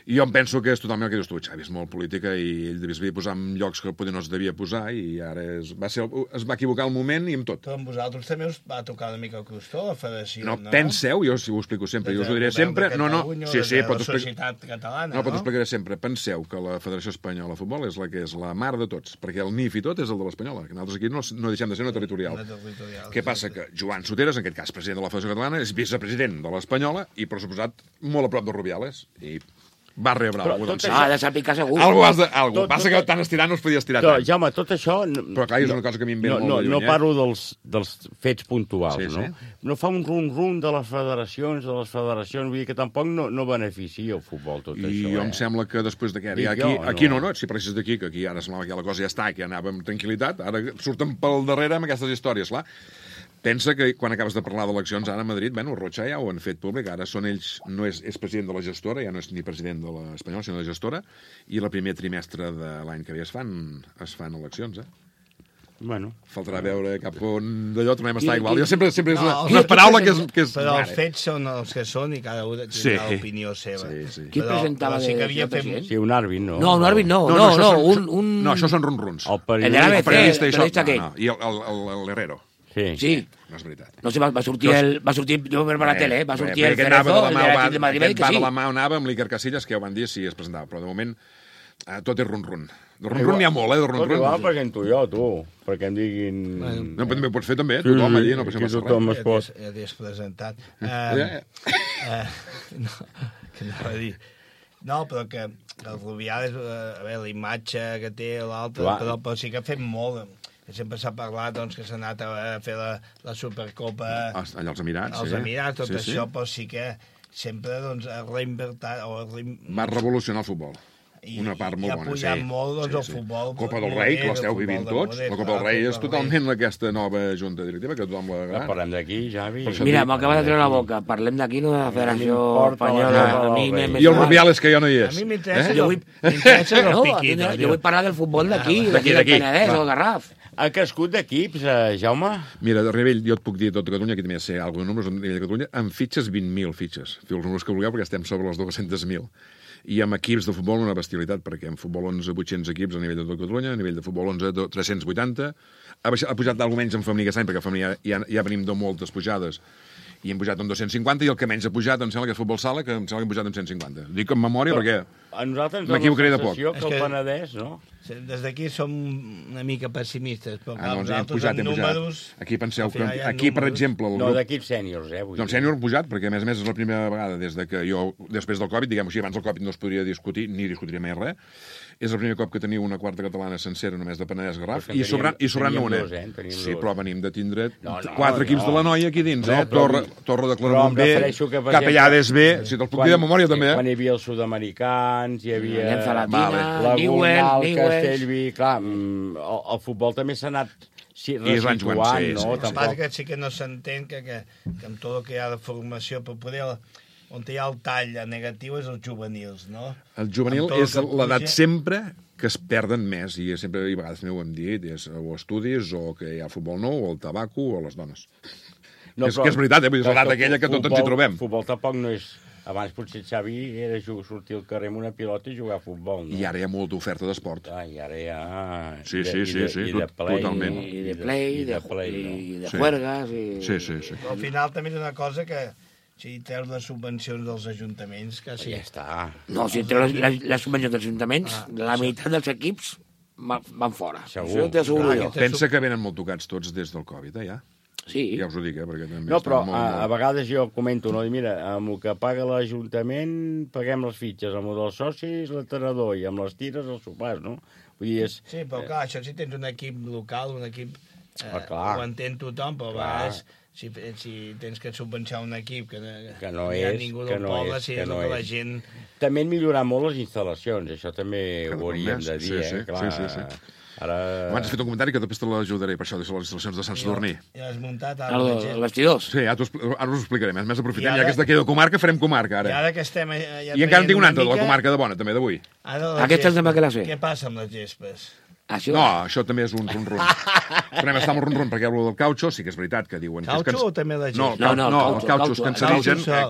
I jo em penso que és totalment el que dius tu, Xavi, és molt política i ell devia posar en llocs que potser no es devia posar i ara es va equivocar el moment i amb tot. Però amb vosaltres també us va tocar una mica el crostó, la federació, no? No, penseu, jo si ho explico sempre, jo us ho diré sempre, no, sí, però la societat catalana, no? Però t'ho explicaré sempre. Penseu que la Federació Espanyola de Futbol és la que és la mare de tots, perquè el NIF i tot és el de l'Espanyola, que nosaltres aquí no deixem de ser una territorial. Què passa? Que Joan Soteras, en aquest cas president de la Federació Catalana, és vicepresident de l'Espanyola i, per suposat, molt a prop de Rubiales. I va rebre alguna cosa. Ha de saber que segur. Algú. Passa que tan estirar no es podia estirar tant. Jaume, tot això... Però clar, és una cosa que a mi em ve molt de lluny. No parlo dels fets puntuals, no? No fa un rum-rum de les federacions, vull dir que tampoc no beneficia el futbol tot això. I jo em sembla que després d'aquest... Aquí no, si presses d'aquí, que aquí ara semblava que la cosa ja està, que ja anava amb tranquil·litat, ara surten pel darrere amb aquestes històries, clar. Pensa que quan acabes de parlar d'eleccions ara a Madrid, Rocha ja ho han fet públic, ara són ells, no és president de la gestora, ja no és ni president de l'Espanyol, sinó de la gestora, i el primer trimestre de l'any que ve es fan eleccions, Bueno. Faltarà veure cap on d'allò tornem a estar igual. Jo sempre és una paraula que és... Però els fets són els que són i cada un tindrà l'opinió seva. Qui presentava de president? Sí, un àrbit, no? No, un àrbit no. No, això són ronruns. El periodista aquell. I l'Herrero. Sí. No és veritat. No sé, va sortir, jo per la tele, va sortir el Cerezo, el de Madrid, que sí. Va de la mà, anava amb l'Iker Casillas, que ja ho van dir si es presentava, però de moment tot és ronrun. De ronrun n'hi ha molt, de ronrun. Però igual presento jo, tu, perquè em diguin... No, però també ho pots fer també, tothom allí, no passa res. Tothom es pot. Ja t'has presentat. Que anava a dir... No, però que el Rubiales, a veure, la imatge que té l'altre, però sí que ha fet molt... Sempre s'ha parlat doncs, que s'ha anat a fer la Supercopa... Allà als Emirats, als Emirats, tot això, però sí que sempre doncs, ha reinvertit... Va revolucionar el futbol. Una part molt bona. I ha pujat molt doncs, el futbol. Copa del Rei, que l'esteu vivint tots. La Copa del Rei és totalment aquesta nova junta directiva, que tothom l'agrada. Parlem d'aquí, Javi. Mira, m'acaba de treure la boca. Parlem d'aquí, no de la Federació Espanyola. I el Rubiales, que ja no hi és. A mi m'interessa el piquito. Jo vull parlar del futbol d'aquí, del Penedès o del Garraf. Ha crescut d'equips, Jaume? Mira, de nivell, jo et puc dir tot Catalunya, aquí també sé alguns números, a nivell de Catalunya, amb fitxes 20.000 fitxes. Feu els números que vulgueu, perquè estem sobre les 200.000. I amb equips de futbol una bestialitat, perquè en futbol 11 800 equips a nivell de tot Catalunya, a nivell de futbol 11 380, ha pujat d'algú menys en femení aquest any, perquè a femení ja venim de moltes pujades, i hem pujat amb 250, i el que menys ha pujat em sembla que és futbol sala, que em sembla que hem pujat amb 150. Dic en memòria perquè m'equivocaré de poc. Que el Penedès, no? Des d'aquí som una mica pessimistes, però nosaltres amb números... Aquí penseu que aquí, per exemple... No, d'equips sèniors, No, sènior pujat, perquè a més és la primera vegada des de que jo, després del Covid, diguem-ho així, abans del Covid no es podria discutir, ni discutiria més res, és el primer cop que teniu una quarta catalana sencera només de Penedès Garraf, i sobrant una. Sí, però venim de tindre 4 equips de la noia aquí dins, Torre de Claramunt B, Capellades B, si te'ls puc dir de memòria també. Quan hi havia els sud-americans, hi havia... Llença Latina, Newell, Castellví... Clar, el futbol també s'ha anat resituant, no? El que passa que sí que no s'entén que amb tot el que hi ha de formació, però poder... On hi ha el tall negatiu és els juvenils, no? El juvenil és l'edat sempre que es perden més, i sempre, i a vegades també ho hem dit, és o estudis, o que hi ha futbol nou, o el tabaco, o les dones. Que és veritat, és l'edat aquella que tots ens hi trobem. El futbol tampoc no és... Abans potser Xavi era sortir al carrer amb una pilota i jugar a futbol, no? I ara hi ha molta oferta d'esport. I ara hi ha... Sí, totalment. I de play, i de juergas... Sí. Al final també és una cosa que... Si treus les subvencions dels ajuntaments, quasi... Ja està. No, si treus les subvencions dels ajuntaments, la meitat dels equips van fora. Segur. Pensa que venen molt tocats tots des del Covid, ja. Sí. Ja us ho dic, perquè també... No, però a vegades jo comento, no? Mira, amb el que paga l'Ajuntament paguem les fitxes, amb el dels socis l'entenedor i amb les tires els sopars, no? Vull dir, és... Sí, però clar, això si tens un equip local, un equip... ho entén tothom, però a vegades... Si tens que subvencionar un equip que no hi ha ningú del poble, si és que la gent... També han millorat molt les instal·lacions, això també ho hauríem de dir, clar. Sí. Abans has fet un comentari que després te l'ajudaré, per això, des de les instal·lacions de Sant Sadurní. Ja has muntat... Els vestidors. Sí, ara us ho explicaré. Més aprofitem, ja que és d'aquí de comarca, farem comarca, ara. I ara que estem... I encara en tinc una altra, de la comarca de Bona, també, d'avui. Aquesta també que la sé. Què passa amb les gespes? No, això també és un ronron. Tornem a estar amb un ronron, perquè el del caucho sí que és veritat que diuen... Caucho o també la gent? No, els cauchos cancerigen, el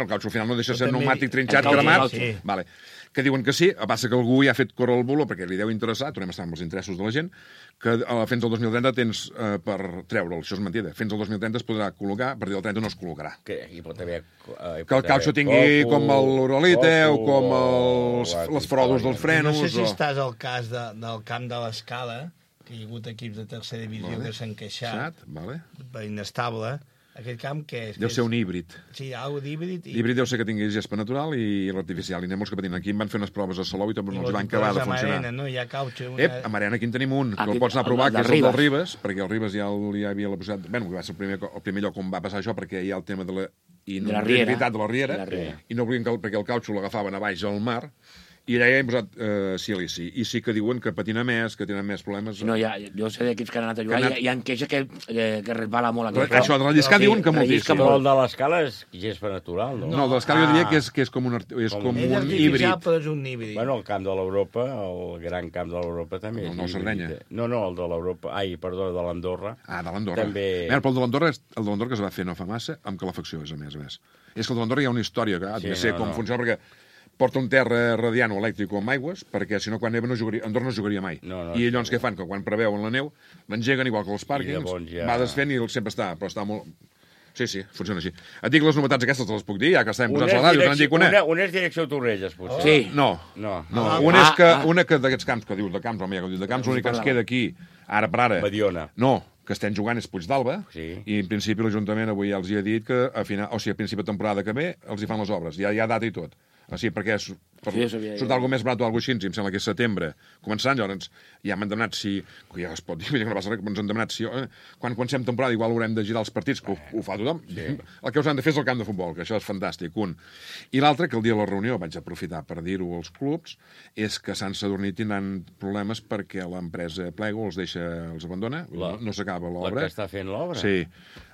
caucho al final no deixa ser pneumàtic trinxat, cremat. Vale. que diuen que sí, a passa que algú ja ha fet córrer el bulo perquè li deu interessar, tornem a estar amb els interessos de la gent, que fins al 2030 tens per treure'l, això és mentida. Fins al 2030 es podrà col·locar, a partir del 30 no es col·locarà. Que hi pot haver... Que el calcio tingui com l'Urolite o com les frodos dels frenos. No sé si estàs al cas del camp de l'Escala, que hi ha hagut equips de tercera divisió que s'han queixat per inestable. Aquest camp què és? Deu ser un híbrid. Sí, algo d'híbrid. L'híbrid deu ser que tingui gespa natural i l'artificial. I anem molts que patinen. Aquí em van fer unes proves a Salou i també no els van acabar de funcionar. Arena, no? Hi ha caucho. A Marena aquí en tenim un, que el pots anar a provar, que és el del Ribes, perquè el Ribes ja hi havia la possibilitat... Bé, que va ser el primer lloc on va passar això, perquè hi ha el tema de la inundabilitat de la riera, i no volien perquè el caucho l'agafaven a baix al mar, i allà ja hem posat silici. I sí que diuen que patina més, que tenen més problemes. No, jo sé d'equips que han anat a jugar, hi ha queixa que resbala molt. Això de relliscar diuen que moltíssim. Però el de l'Escala és gespa natural, no? No, el de l'Escala jo diria que és com un híbrid. Però és un híbrid. Bueno, el camp de l'Europa, el gran camp de l'Europa també és híbrid. El Sardenya? No, el de l'Europa. Ai, perdó, de l'Andorra. Ah, de l'Andorra. Però el de l'Andorra que es va fer no fa massa, amb calefacció, és a més. És que el de l'Andorra hi ha una història, que ha de ser com funciona, perquè porta un terra radiant o elèctric o amb aigües, perquè si no, quan neva Andorra no jugaria mai. I llavors què fan? Que quan preveuen la neu, l'engeguen igual que els pàrquings, va desfent i sempre està, però està molt... Sí, funciona així. Et dic les novetats aquestes, te les puc dir, ja que estem posats a la ràdio, te n'en dic una. Una és direcció Torrelles, potser. Sí. No. Una que d'aquests camps, que dius de camps, home, ja que dius de camps, l'únic que ens queda aquí, ara per ara... Mediona. No, que estem jugant és Puigdalba, i en principi l'Ajuntament avui ja els hi ha dit que a principi de temporada que ve els hi fan les obres, ja hi ha data i tot. Sí, perquè surt alguna més barat o alguna així, em sembla que és setembre. Començant, llavors, ja m'han demanat si... Ja es pot dir, que no passa res, ens han demanat si... Quan comencem temporada igual haurem de girar els partits, que ho fa tothom. El que us han de fer és el camp de futbol, que això és fantàstic, un. I l'altre, que el dia de la reunió, vaig aprofitar per dir-ho als clubs, és que Sant Sadurní tindran problemes perquè l'empresa Plego els abandona, no s'acaba l'obra. La que està fent l'obra? Sí.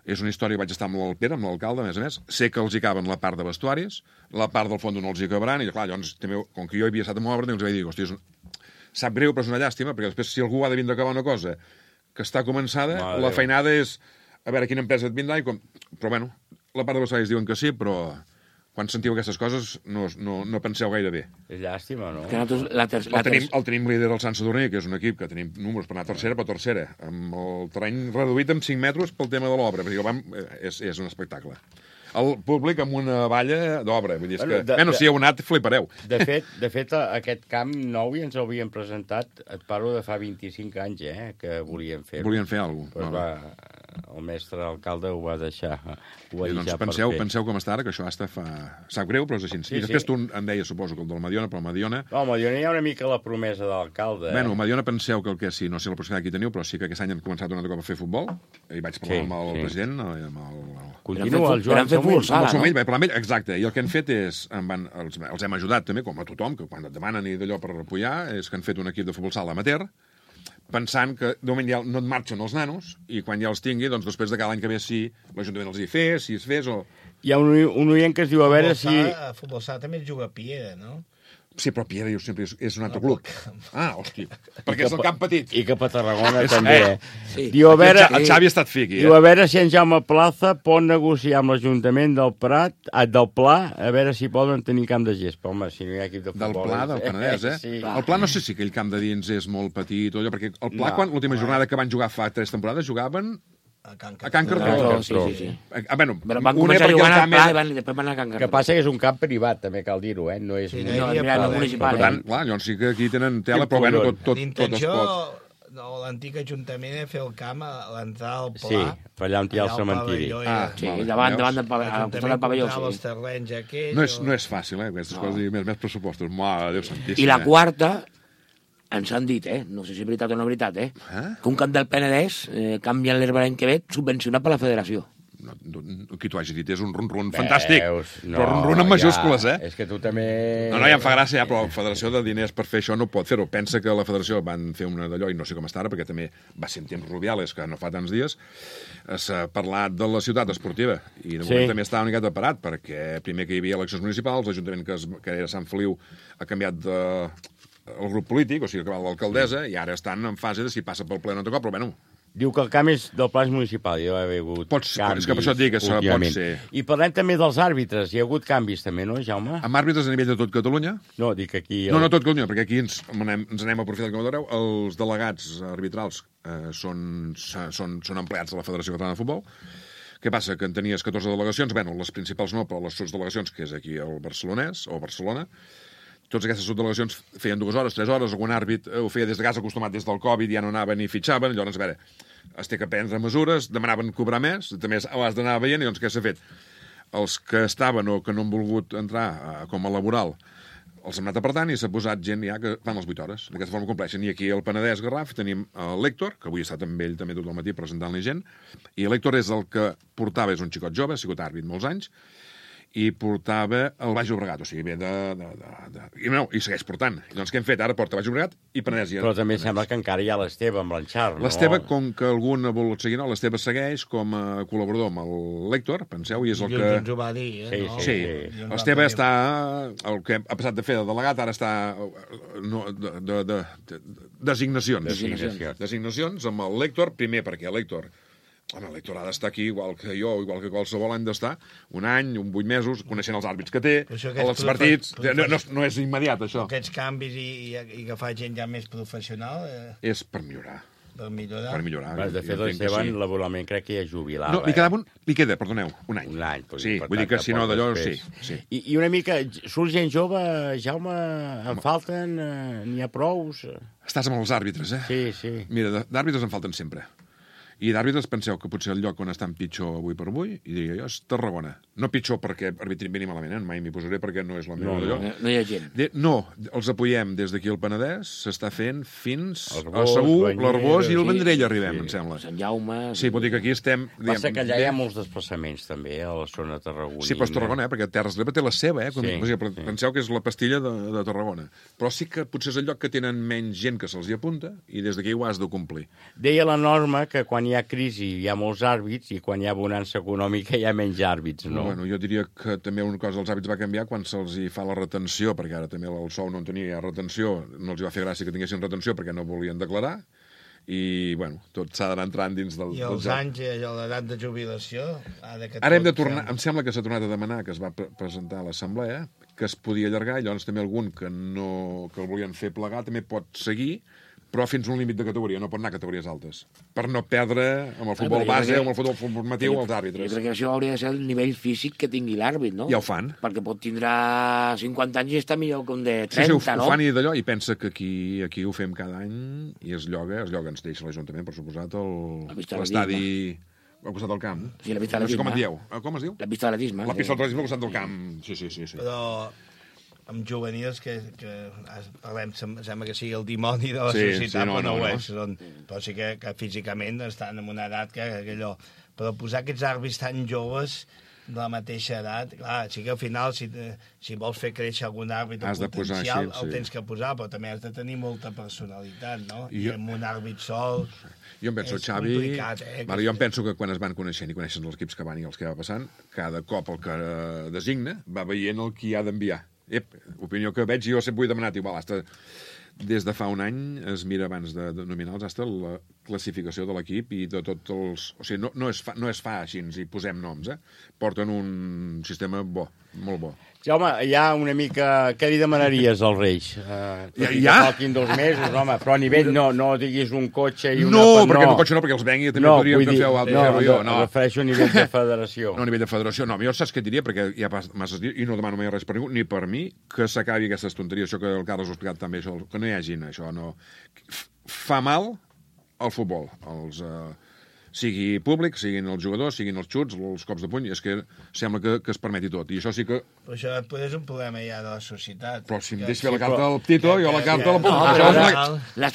És una història, vaig estar amb l'Alpera, amb l'alcalde, a més. Sé que els hi caben la part de vestuaris, la part del fons no els hi acabaran, i clar, llavors, també, com que jo havia estat amb l'obra, els vaig dir, hòstia, sap greu, però és una llàstima, perquè després, si algú ha de vindre a acabar una cosa que està començada, la feinada és a veure quina empresa et vindrà, però bueno, la part de vestuaris diuen que sí, però... Quan sentiu aquestes coses, no penseu gaire bé. És llàstima, no? El tenim líder del Sant Sadurní, que és un equip que tenim números per anar a tercera, amb el terreny reduït amb 5 metres pel tema de l'obra, perquè és un espectacle. El públic amb una valla d'obra, vull dir, si heu anat, flipareu. De fet, aquest camp nou ja ens l'havien presentat, et parlo de fa 25 anys, que volien fer. Volien fer alguna cosa. El mestre alcalde ho va deixar penseu com està ara, que això hasta fa... Sap greu, però és així. I després tu em deies, suposo, que el del Mediona, però el Mediona... No, el Mediona hi ha una mica la promesa de l'alcalde. Bueno, el Mediona penseu que el que sí, no sé la possibilitat que hi teniu, però sí que aquest any han començat un altre cop a fer futbol, i vaig parlar amb el president, Continua el Joan Somell, vaig parlar amb ell, exacte, i el que han fet és, els hem ajudat també, com a tothom, que quan et demanen i d'allò per apoyar, és que han fet un equip de futbol sala amateur, pensant que de moment ja no et marxen els nanos i quan ja els tingui, doncs després de cada any que ve si l'Ajuntament els hi fes, si es fes o... Hi ha un oient que es diu a veure si... A futbol sala també es juga a Piera, no? Sí, però Piera diu sempre és un altre club. Hòstia, perquè és el camp petit. I cap a Tarragona també. Diu, a veure... El Xavi ha estat fiqui, Diu, a veure si en Jaume Plaza pot negociar amb l'Ajuntament del Pla, a veure si poden tenir camp de gespa. Home, si no hi ha equip de futbol... Del Pla, del Penedès, Sí. El Pla no sé si aquell camp de dins és molt petit o allò, perquè el Pla, quan l'última jornada que van jugar fa 3 temporades, jugaven... A Can Cartró. Sí. Bueno, van començar jugant al Pla i després van anar a Can Cartró. Que passa que és un camp privat, també cal dir-ho, no és... No municipal. Per tant, clar, llavors sí que aquí tenen tela, però bueno, tot es pot. L'antic Ajuntament fer el camp a l'entrada del Pla. Sí, per allà on hi ha el cementiri. Sí, davant del pavelló. Els terrenys aquells... No és fàcil, aquestes coses, més pressupostos. Mare de Déu santíssim. I la quarta... Ens han dit, no sé si és veritat o no és veritat, que un camp del Penedès canvia l'herba l'any que ve subvencionat per la federació. Qui t'ho hagi dit, és un run-run fantàstic. Però run-run en majúscules, És que tu també... No, ja em fa gràcia, però la federació de diners per fer això no pot fer-ho. Pensa que la federació van fer una d'allò, i no sé com està ara, perquè també va ser en temps Rubiales, que no fa tants dies, s'ha parlat de la ciutat esportiva, i de moment també està una miqueta parat, perquè primer que hi havia eleccions municipals, l'Ajuntament que era Sant Feliu ha canviat el grup polític, o sigui, que va l'alcaldessa, i ara estan en fase de si passa pel ple o no toca, però bueno, Diu que el camp és del Pla municipal, hi ha hagut canvis. És que per això et dic que pot ser. I parlem també dels àrbitres, hi ha hagut canvis també, no, Jaume? Amb àrbitres a nivell de tot Catalunya? No, dic aquí... No, tot Catalunya, perquè aquí ens anem aprofitant, com veureu, els delegats arbitrals són empleats de la Federació Catalana de Futbol. Què passa? Que en tenies 14 delegacions, bueno, les principals no, però les subdelegacions, que és aquí el Barcelonès, o Barcelona, totes aquestes subdelegacions feien 2 hores, 3 hores, algun àrbit ho feia des de casa acostumat des del Covid, ja no anaven ni fitxaven, llavors, a veure, es té que prendre mesures, demanaven cobrar més, també ho has d'anar veient, i doncs què s'ha fet? Els que estaven o que no han volgut entrar com a laboral, els hem anat apartant i s'ha posat gent ja que fan les 8 hores. D'aquesta forma compleixen. I aquí al Penedès Garraf tenim l'Héctor, que avui he estat amb ell també tot el matí presentant-li gent, i l'Héctor és el que portava, és un xicot jove, ha sigut àrbit molts anys, i portava el Baix Llobregat, o sigui, ve i segueix portant. Doncs què hem fet? Ara porta Baix Llobregat i Penedès. Però també sembla que encara hi ha l'Esteve amb l'Enxar, no? L'Esteve, com que algun ha volut seguir, no, l'Esteve segueix com a col·laborador amb l'Héctor, penseu, i és el que... Ens ho va dir, Sí. L'Esteve està... El que ha passat de fer de delegat, ara està... Designacions amb l'Héctor, primer perquè l'Héctor... Home, l'Héctor ha d'estar aquí igual que jo, igual que qualsevol any d'estar, un any, 8 mesos, coneixent els àrbits que té, els partits... No és immediat, això. Aquests canvis i agafar gent ja més professional... És per millorar. Per millorar. Per millorar. De fet, l'Esteban laboralment crec que ja jubilava. No, li queda, perdoneu, un any. Un any. Sí, vull dir que si no d'allò, sí. I una mica, surt gent jove, Jaume, en falten, n'hi ha prous? Estàs amb els àrbitres, eh? Sí. Mira, d'àrbitres en falten sempre. I d'àrbitres penseu que potser el lloc on estan pitjor avui per avui, i diria jo, és Tarragona. No pitjor perquè arbitrin bé ni malament, mai m'hi posaré perquè no és la meva d'allò. No hi ha gent. No, els apoyem des d'aquí al Penedès, s'està fent fins a Segur, l'Arbós i el Vendrell arribem, em sembla. Sant Jaume... Sí, vol dir que aquí estem... Passa que allà hi ha molts desplaçaments també, a la zona tarragonina. Sí, però és Tarragona, perquè Terres de l'Ebre té la seva, Penseu que és la pastilla de Tarragona. Però sí que potser és el lloc que tenen menys gent que se'ls hi apunta, i des d'aquí ho has de complir. Deia la norma que quan hi ha crisi hi ha molts àrbits i quan hi ha bonança econòmica hi ha menys àrbits, no? Bueno, jo diria que també una cosa dels àrbits va canviar quan se'ls hi fa la retenció, perquè ara també el sou no en tenia retenció, no els hi va fer gràcia que tinguessin retenció perquè no volien declarar, i, bueno, tot s'ha d'anar entrant dins del... I els anys, l'edat de jubilació... Ara hem de tornar, em sembla que s'ha tornat a demanar, que es va presentar a l'Assemblea, que es podia allargar, i llavors també algun que el volien fer plegar també pot seguir, però fins a un límit de categoria, no pot anar a categories altes, per no perdre amb el futbol base o amb el futbol formatiu els àrbitres. Jo crec que això hauria de ser el nivell físic que tingui l'àrbit, no? Ja ho fan. Perquè pot tindre 50 anys i està millor que un de 30, no? Sí, ho fan i d'allò, i pensa que aquí ho fem cada any i es lloga, ens deixa l'Ajuntament, per suposat, l'estadi al costat del camp. Sí, la pista d'atletisme. No sé com en dieu. Com es diu? La pista d'atletisme. La pista d'atletisme al costat del camp, sí. Però amb juvenils que parlem, sembla que sigui el dimoni de la societat, però no ho és. Però sí que físicament estan en una edat que allò... Però posar aquests àrbits tan joves de la mateixa edat, clar, sí que al final, si vols fer créixer algun àrbit potencial, el tens que posar, però també has de tenir molta personalitat, no? I amb un àrbit sol... Jo em penso, Xavi... Jo em penso que quan es van coneixent i coneixen els equips que van i els que va passant, cada cop el que designa va veient el que hi ha d'enviar. Opinió que veig, jo sempre ho he demanat igual, des de fa un any es mira abans de nominar els la classificació de l'equip i de tots els... O sigui, no es fa així, ens hi posem noms, Porten un sistema bo, molt bo. Jaume, ja una mica... Què li demanaries als Reis? Ja? Faltin 2 mesos, home, però a nivell no diguis un cotxe i una... No, perquè el cotxe no, perquè els vengui també podríem fer jo. No, refereixo a nivell de federació. No, a nivell de federació, no. Jo saps què diria, perquè hi ha masses dies, i no demano mai res per ningú, ni per mi, que s'acabi aquestes tonteries, això que el Carles ho ha explicat també, això, que no hi hagin, això, no... Fa mal al futbol, sigui públic, siguin els jugadors, siguin els xuts, els cops de puny, és que sembla que es permeti tot, i això sí que... Però això és un problema ja de la societat. Però si em deixa fer la carta al Tito, jo la carta la puc... Les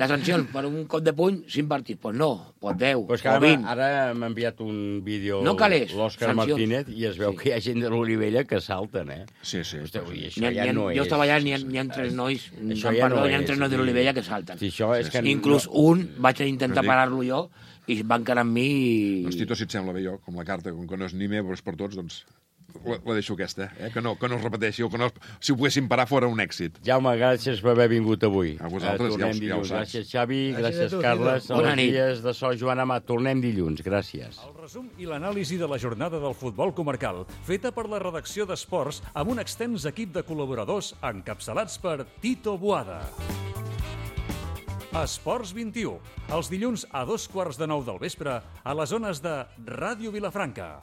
sancions per un cop de puny, 5 partits, doncs no, pot 10 o 20. Ara m'ha enviat un vídeo l'Òscar Martínez i es veu que hi ha gent de l'Olivella que salten, Sí. Hòstia, això ja no és... Jo estava allà, n'hi ha 3 nois, n'hi ha 3 nois de l'Olivella que salten. Inclús un vaig intentar parar-lo jo, i va encarar amb mi... Doncs, Tito, si et sembla bé jo, com la carta, com que no és ni meva, però és per tots, doncs la deixo aquesta, que no es repeteixi, o que no, si ho poguéssim parar fora un èxit. Jaume, gràcies per haver vingut avui. A vosaltres, ja ho saps. Gràcies, Xavi, gràcies, Carles. Bona nit. Dies de so, Joan Amat. Tornem dilluns. Gràcies. El resum i l'anàlisi de la jornada del futbol comarcal, feta per la redacció d'Esports amb un extens equip de col·laboradors encapçalats per Tito Boada. Esports 21, els dilluns a 2:15 del vespre a les zones de Ràdio Vilafranca.